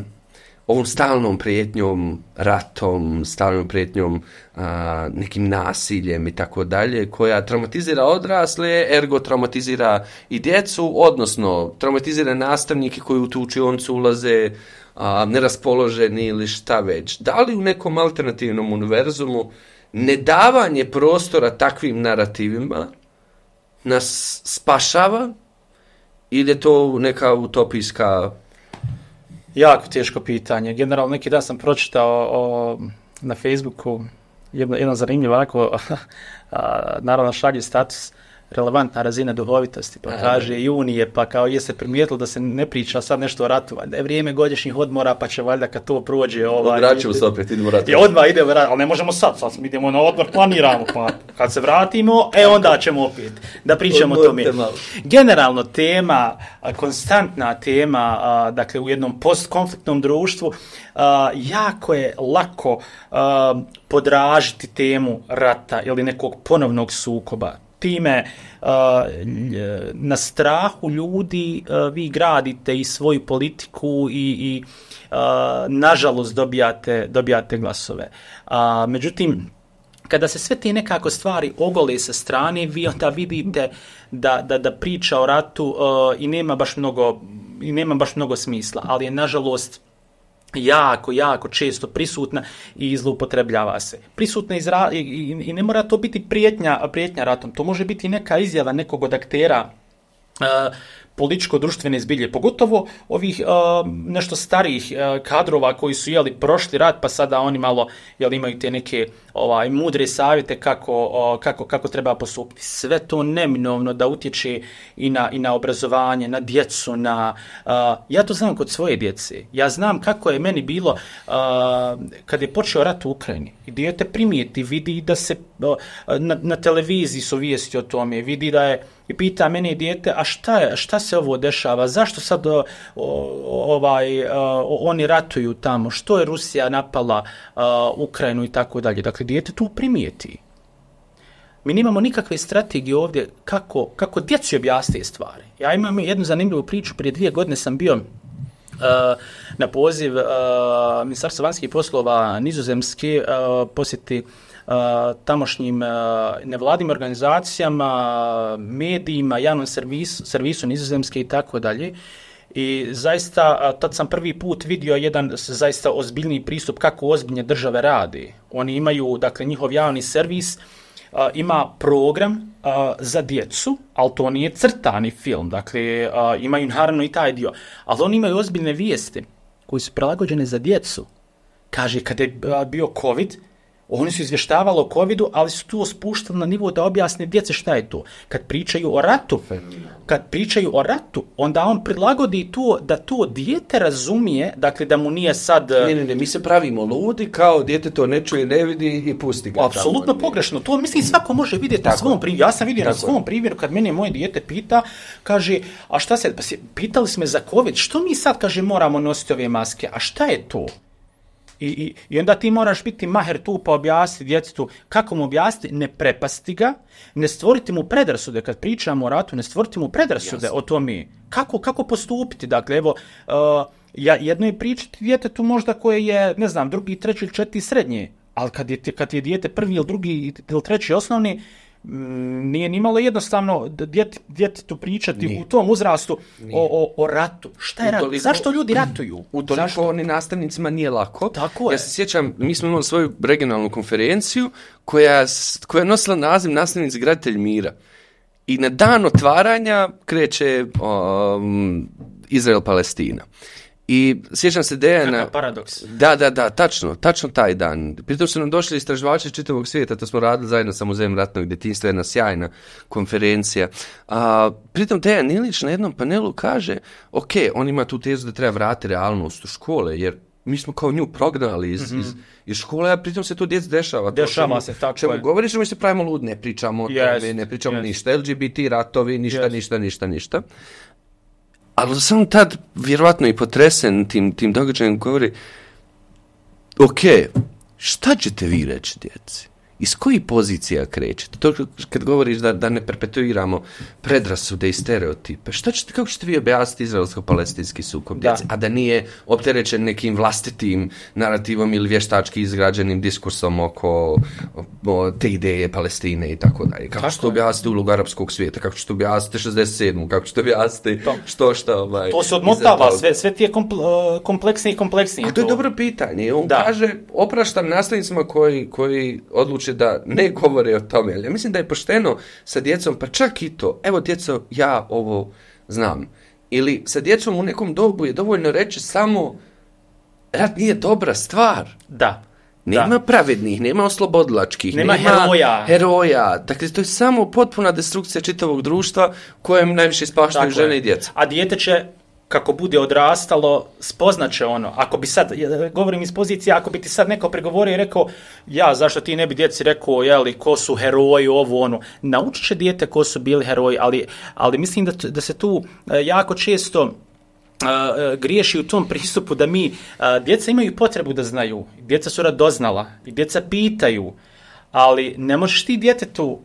ovom stalnom prijetnjom ratom, stalnom prijetnjom nekim nasiljem i tako dalje, koja traumatizira odrasle, ergo traumatizira i djecu, odnosno traumatizira nastavnike koji u tu učionicu ulaze neraspoloženi ili šta već. Da li u nekom alternativnom univerzumu nedavanje prostora takvim narativima nas spašava ili je to neka utopijska... Jako teško pitanje. Generalno, neki dan sam pročitao na Facebooku jedan zanimljiv onako, naravno šalje status relevantna razina duhovitosti, pa kaže junije, pa kao je se primijetilo da se ne priča sad nešto o ratu, da je vrijeme godišnjih odmora, pa će valjda kad to prođe... Vraćamo se opet, idemo ratu. I odmah idemo ratu, ali ne možemo sad idemo na odmor, planiramo, pa kad se vratimo, onda ćemo opet da pričamo o tome. Generalno tema, konstantna tema, dakle u jednom postkonfliktnom društvu, jako je lako podražiti temu rata ili nekog ponovnog sukoba. Time na strahu ljudi vi gradite i svoju politiku i nažalost dobijate glasove. Međutim, kada se sve te nekako stvari ogole sa strane, vi onda vidite da priča o ratu i nema baš mnogo smisla, ali je nažalost jako često prisutna i zloupotrebljava se. Prisutna i ne mora to biti prijetnja ratom. To može biti neka izjava nekog od aktera političko-društvene zbilje, pogotovo ovih nešto starijih kadrova koji su prošli rat, pa sada oni malo imaju te neke mudre savjete kako treba postupiti. Sve to neminovno da utječe i na obrazovanje, na djecu, ja to znam kod svoje djece. Ja znam kako je meni bilo kad je počeo rat u Ukrajini. I dijete primijeti, vidi da se na televiziji su vijesti o tome, vidi da je i pita mene dijete, a šta se ovo dešava, zašto sad oni ratuju tamo, što je Rusija napala Ukrajinu i tako dalje. Dakle, dijete tu primijeti. Mi nemamo nikakve strategije ovdje kako djeci objasniti stvari. Ja imam jednu zanimljivu priču, prije 2 godine sam bio na poziv Ministarstva vanjskih poslova Nizozemske posjeti tamošnjim nevladnim organizacijama, medijima, javnom servisu Nizozemske i tako dalje. I zaista, tad sam prvi put vidio jedan zaista ozbiljni pristup kako ozbiljne države radi. Oni imaju, dakle, njihov javni servis ima program za djecu, ali to nije crtani film, dakle, imaju naravno i taj dio, ali oni imaju ozbiljne vijesti koje su prilagođene za djecu. Kaže, kada je bio COVID, oni su izvještavali o covidu, ali su tu spuštali na nivo da objasne djece šta je to. Kad pričaju o ratu, onda on prilagodi to da to dijete razumije, dakle da mu nije sad... Ne, mi se pravimo ludi, kao dijete to ne čuje, ne vidi i pusti ga. Apsolutno pogrešno. To mislim svako može vidjeti na svom primjeru. Ja sam vidio na svom primjeru kad mene moje dijete pita, kaže, a šta se, pitali smo za covid, što mi sad, kaže, moramo nositi ove maske, a šta je to? I onda ti moraš biti maher tu pa objasniti djetetu. Kako mu objasniti? Ne prepasti ga, ne stvoriti mu predrasude. Kad pričamo o ratu, ne stvoriti mu predrasude o tome. Kako postupiti? Dakle, evo, jedno je pričati djetetu možda koje je, ne znam, drugi, treći ili četiri srednje. Ali kad je dijete prvi ili drugi ili treći osnovni, nije nimalo jednostavno djetetu pričati u tom uzrastu o ratu. Šta je rat? Zašto ljudi ratuju? Utoliko ni nastavnicima nije lako. Tako ja se sjećam, mi smo imali svoju regionalnu konferenciju koja je nosila naziv Nastavnici graditelj mira. I na dan otvaranja kreće Izrael-Palestina. I sjećam se Dejana... Kakav paradoks. Da, tačno taj dan. Pritom su nam došli istraživači čitavog svijeta, to smo radili zajedno sa Muzejem ratnog djetinjstva, jedna sjajna konferencija. Pritom Dejan Ilić na jednom panelu kaže, ok, on ima tu tezu da treba vratiti realnost u škole, jer mi smo kao nju prognali iz škole, a pritom se to djeci dešava. Dešava se, tako čemu je. Govoriš, mi se pravimo lud, ne pričamo o tome, ne pričamo ništa, LGBT, ratovi, ništa. Ali sam tad vjerovatno i potresen tim događajem govori, ok, šta ćete vi reći djeci? Iz kojih pozicija krećete? To kad govoriš da ne perpetuiramo predrasude i stereotipe, kako ćete vi objasniti izraelsko-palestinski sukob djeci, a da nije opterećen nekim vlastitim narativom ili vještački izgrađenim diskursom oko te ideje Palestine i tako dalje? Kako ćete objasniti ulogu arapskog svijeta? Kako ćete objasniti 67. Kako ćete objasniti što? To se odmotava, sve ti je kompleksnije. A to je dobro pitanje. On kaže, opraštam nastavnicima koji odluče da ne govore o tome. Ali ja mislim da je pošteno sa djecom, pa čak i to, evo djeco, ja ovo znam. Ili sa djecom u nekom dobu je dovoljno reći samo rat nije dobra stvar. Da. Nema pravednih, nema oslobodilačkih, nema heroja. Dakle, to je samo potpuna destrukcija čitavog društva kojem najviše ispaštaju žene i djeca. A dijete će, kako bude odrastalo, spoznaće ono. Ako bi sad, govorim iz pozicije, ako bi ti sad neko pregovorio i rekao, zašto ti ne bi djeci rekao, ko su heroji, ovo, ono. Naučit će dijete ko su bili heroji, ali mislim da se tu jako često griješi u tom pristupu da djeca imaju potrebu da znaju. Djeca su radoznala i djeca pitaju, ali ne možeš ti djetetu,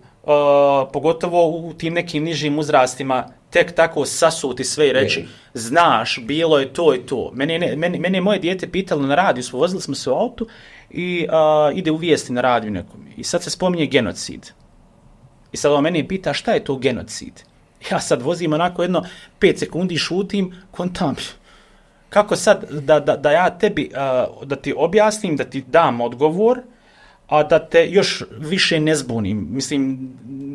pogotovo u tim nekim nižim uzrastima, tek tako sasuti sve i reći, znaš, bilo je to i to. Mene je moje dijete pitalo na radiju, vozili smo se u autu i ide u vijesti na radiju nekom. I sad se spominje genocid. I sad on mene pita šta je to genocid. Ja sad vozim onako 5 sekundi šutim, kontam. Kako sad da ja tebi, da ti objasnim, da ti dam odgovor, a da te još više ne zbunim. Mislim,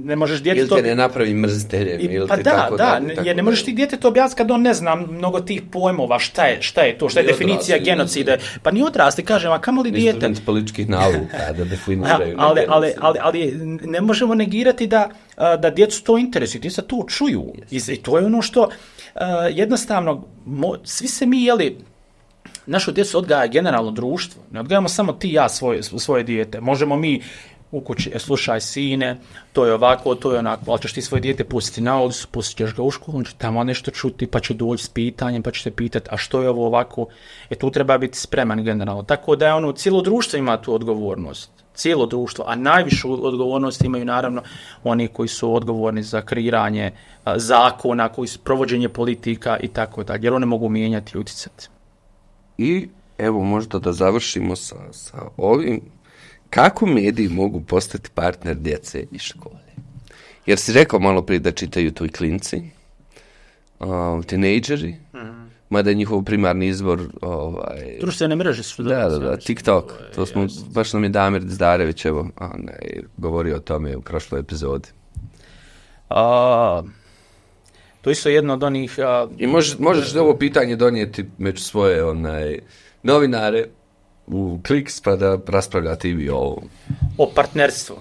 ne možeš djetetu... Ili te ne napravi mrziteljem, ili pa te tako jer ne možeš ti djetetu objasniti kad on ne zna mnogo tih pojmova, šta je to, šta je definicija genocida. Pa ni odrasli, kažem, a kamo li dijete? Student političkih nauka, da definiraju. Ali ne možemo negirati da djecu to interesuje, djeca to čuju. I to je ono što jednostavno, svi se mi, našu djecu odgaja generalno društvo. Ne odgajamo samo ti i ja svoje dijete. Možemo mi u kući, slušaj sine, to je ovako, to je onako, ali ćeš ti svoje dijete pustiti na ulicu, pustit ćeš ga u školu, on će tamo nešto čuti, pa će doći s pitanjem, pa će te pitati, a što je ovo ovako? Tu treba biti spreman generalno. Tako da je cijelo društvo ima tu odgovornost. Cijelo društvo, a najvišu odgovornost imaju naravno oni koji su odgovorni za kreiranje zakona, koji su provođenje politika i tako dalje, jer one mogu mijenjati i utjecati. I evo možda da završimo sa ovim. Kako mediji mogu postati partner djece iz škole? Jer si rekao malo prije da čitaju to i klinci, tinejdžeri, mada je njihov primarni izvor... Društvene mreže su... Da, TikTok. To smo, baš nam je Damir Zdarević, govorio o tome u prošloj epizodi. To isto jedno od onih... I možeš ovo pitanje donijeti među svoje novinare u Kliks pa da raspravljate i vi o ovom. O partnerstvu.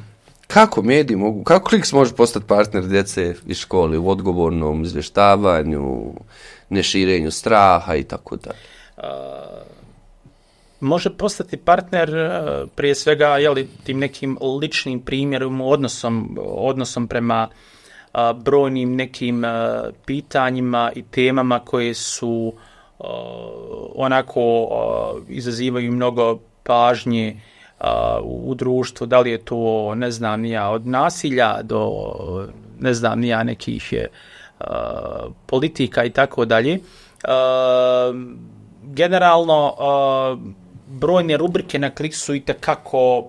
Kako mediji mogu, kako Kliks može postati partner djece iz škole u odgovornom izvještavanju, neširenju straha i tako dalje? Može postati partner prije svega tim nekim ličnim primjerom, odnosom prema brojnim nekim pitanjima i temama koje su onako izazivaju mnogo pažnje u društvu, da li je to, ne znam, od nasilja do, ne znam, nekih politika i tako dalje. Generalno, brojne rubrike na Kliksu itekako,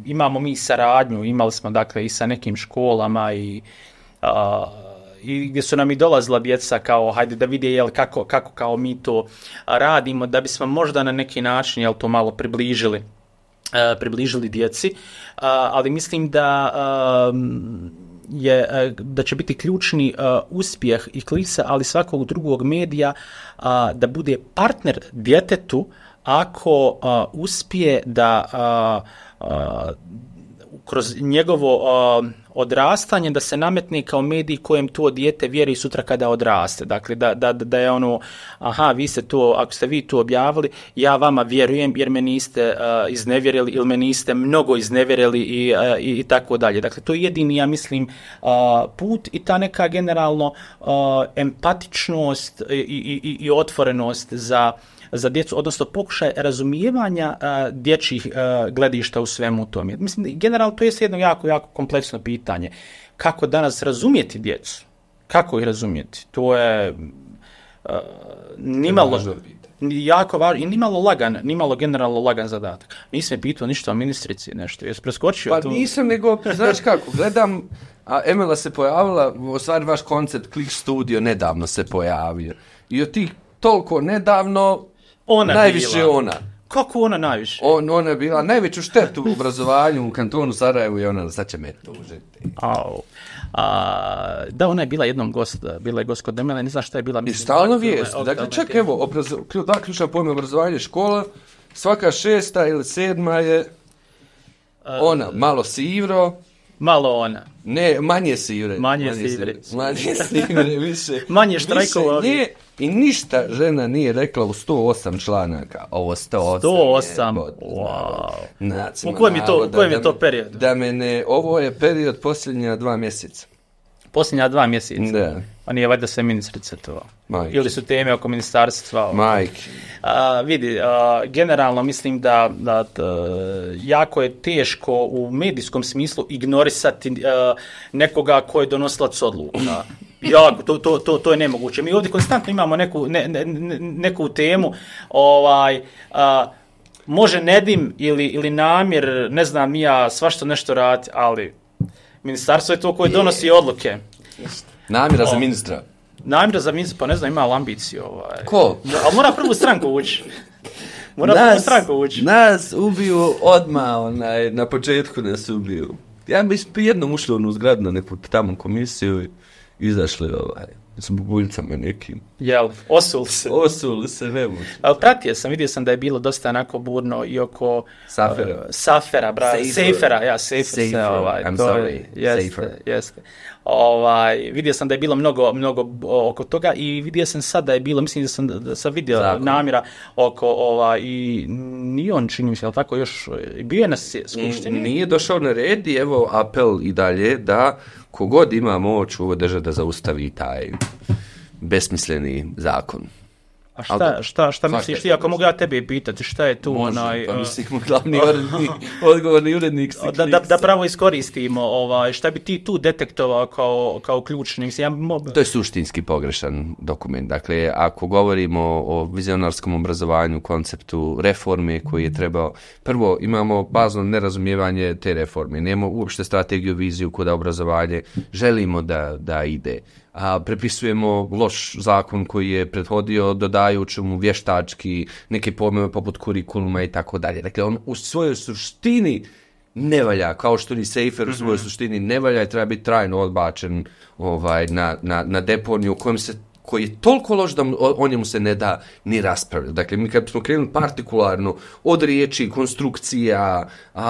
imamo mi saradnju, imali smo dakle i sa nekim školama i gdje su nam i dolazila djeca kao hajde da vide kako kao mi to radimo, da bismo možda na neki način to malo približili djeci, ali mislim da će biti ključni uspjeh i Kliksa, ali svakog drugog medija, da bude partner djetetu ako uspije da kroz njegovo odrastanje da se nametne kao medij kojem to dijete vjeri sutra kada odraste. Dakle, da je vi ste to, ako ste vi to objavili, ja vama vjerujem jer me niste iznevjerili ili me niste mnogo iznevjerili i tako dalje. Dakle, to je jedini, ja mislim, put i ta neka generalno empatičnost i otvorenost za djecu, odnosno pokušaj razumijevanja dječjih gledišta u svemu tome. Mislim, generalno to je jedno jako, jako kompleksno pitanje. Kako danas razumjeti djecu? Kako ih razumjeti? To je nimalo jako važno i nimalo generalno lagan zadatak. Nisam je pitao ništa o ministrici, nešto. Jesi preskočio? Pa nisam, nego, znaš kako, gledam, a Emela se pojavila, u stvari vaš koncept Klik Studio nedavno se pojavio. I od tih toliko nedavno, najviše bila. Ona. Kako ona najviše? Ona je bila najveću štetu u obrazovanju u kantonu Sarajevu i ona sad će me tužiti. Da, ona je bila jednom bila je gost kod Emele, ne znam šta je bila. I stalno vijest. Dakle, čak evo, dva ključna pojma obrazovanja škola, svaka 6. ili 7. je ona, malo sivro. Malo ona. Ne, manje sivre. Manje sivre, više. Manje štrajkova. I ništa žena nije rekla u 108 članaka. Ovo 108. 108, wow. U kojem je to period? Ovo je period posljednja 2 mjeseca. Posljednja 2 mjeseca? Da. Pa nije valjda sve ministrice to? Majke. Ili su teme oko ministarstva? Majke. Vidi, generalno mislim da jako je teško u medijskom smislu ignorisati nekoga ko je donosilac odluka. To je nemoguće. Mi ovdje konstantno imamo neku temu, može Nedim ili Namir, ne znam ni ja, svašta nešto radi, ali ministarstvo je to koje donosi odluke. Namira za ministra. Namira za ministra, pa ne znam, ima ambiciju. Ko? Ali mora prvu stranku ući. Nas ubiju odmah, na početku nas ubiju. Ja bi jednom ušli u zgradu na neku tamo komisiju i izašli s bubuljicama nekim. Jel, osuli se, ne može. Ali pratio sam, vidio sam da je bilo dosta onako burno i oko Safera, Safera. I'm sorry. Jeste. Vidio sam da je bilo mnogo oko toga i vidio sam sad da je bilo, mislim da sam vidio Zakon. Namira oko i nije on, čini mi se, ali tako još bio je na skupštini. Nije došao na red i evo apel i dalje da kogod ima moć u ovoj državi da zaustavi taj besmisleni zakon. A šta misliš ti, ako mogu ja tebe pitati, šta je tu može, pa mislim, glavni odgovorni urednik si da pravo iskoristimo, šta bi ti tu detektovao kao ključni? To je suštinski pogrešan dokument. Dakle, ako govorimo o vizionarskom obrazovanju, konceptu reforme koji je trebao, prvo imamo bazno nerazumijevanje te reforme, nemamo uopšte strategiju, viziju kuda obrazovanje želimo da ide. A prepisujemo loš zakon koji je prethodio, dodajući mu vještački neke pojmove poput kurikuluma i tako dalje. Dakle, on u svojoj suštini ne valja, kao što ni Seifer u svojoj suštini ne valja i treba biti trajno odbačen na deponiju koji je toliko loš da o njemu se ne da ni raspravljati. Dakle, mi kad smo krenuli partikularno od riječi, konstrukcija,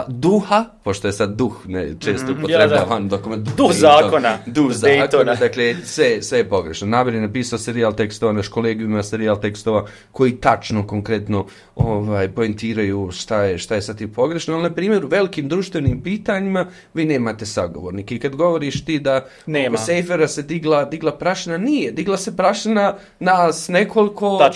duha, pošto je sad duh često upotrebavan dokument. Duh zakona. Duh zakona, dakle, sve je pogrešno. Naber je napisao serijal tekstova, naš kolegijum ima serijal tekstova koji tačno, konkretno poentiraju šta je sad ti pogrešno, ali na primjer u velikim društvenim pitanjima vi nemate sagovornike. I kad govoriš ti da oko Seifera se digla prašina, nije, digla se prašina nas nekoliko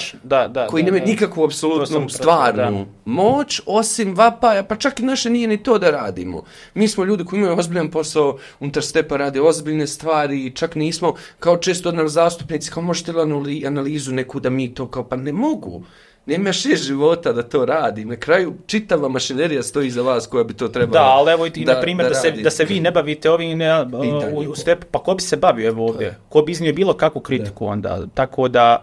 koji nemaju nikakvu apsolutnu stvarnu moć, osim vapaja, pa čak i naše nije ni to da radimo. Mi smo ljudi koji imaju ozbiljan posao, unutar stepa rade ozbiljne stvari i čak nismo kao često od nas zastupnici, kao možete li analizu neku da mi to kao, pa ne mogu. Nema 6 života da to radi. Na kraju čitava mašinerija stoji iza vas koja bi to trebala. Da, ali evo i na primjer da se vi ne bavite ovim u stepu, pa ko bi se bavio evo ovdje? Ko bi iznio bilo kakvu kritiku onda? Tako da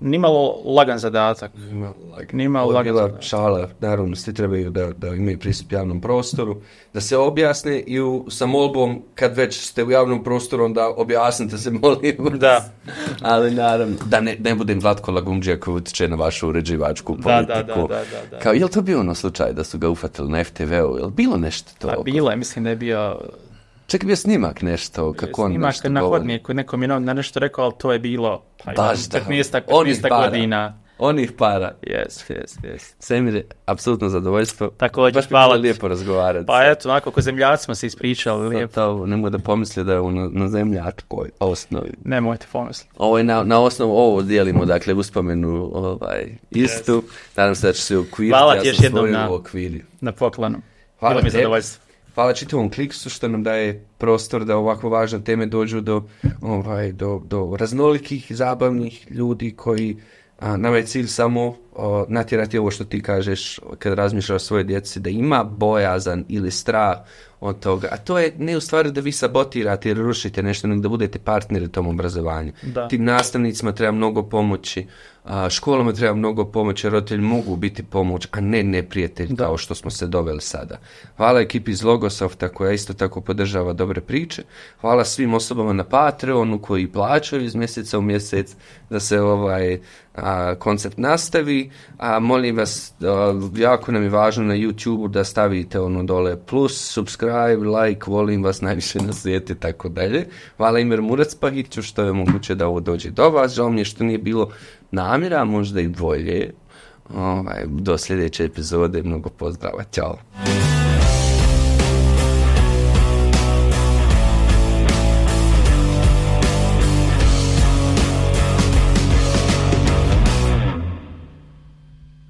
nimalo lagan zadatak. Nimalo lagan zadatak. Šala, naravno, svi trebaju da imaju pristup javnom prostoru, da se objasne i sa molbom, kad već ste u javnom prostoru, onda objasnite se, molim. Da. Ali naravno, da ne budem Vlatko Lagumđija koji utječe na vašu uređivačku politiku. Da. Kao, je li to bio ono slučaj da su ga ufatili na FTV-u? Je li bilo nešto to? Pa bilo je, mislim da je bio... Čak je bio snimak nešto, kako on nešto govori. Snimak na hodniku, nekom je na nešto rekao, ali to je bilo 15 godina. Onih para. Yes. Semir je apsolutno zadovoljstvo. Također, baš hvala. Lijepo razgovarati. Pa eto, onako ko zemljaci smo se ispričali. Lijepo. Nemoj da pomisli da je na zemljačkoj osnovi. Nemojte pomisliti. Ovo je na osnovu, ovo dijelimo, dakle, uspomenu istu. Nadam se da će se ukviriti. Hvala ti još jednom na poklonu. Hvala mi zadovoljstvo. Hvala čitavom Kliksu što nam daje prostor da ovako važne teme dođu do raznolikih, zabavnih ljudi koji nama je cilj samo natjerati ovo što ti kažeš kad razmišljaš o svojoj djeci, da ima bojazan ili strah od toga. A to je ne u stvari da vi sabotirate ili rušite nešto, nego da budete partneri tom obrazovanju. Tim nastavnicima treba mnogo pomoći, školama treba mnogo pomoći, roditelji mogu biti pomoć, a ne neprijatelj kao što smo se doveli sada. Hvala ekipi iz Logosofta koja isto tako podržava dobre priče. Hvala svim osobama na Patreonu koji plaćaju iz mjeseca u mjesec da se koncept nastavi. Molim vas, jako nam je važno na YouTube da stavite dole plus, subscribe, like, volim vas najviše na svijetu i tako dalje. Hvala Imer Muracpagiću što je moguće da ovo dođe do vas. Žao mi je što nije bilo namjera, možda i bolje. Do sljedeće epizode, mnogo pozdrava, ćao.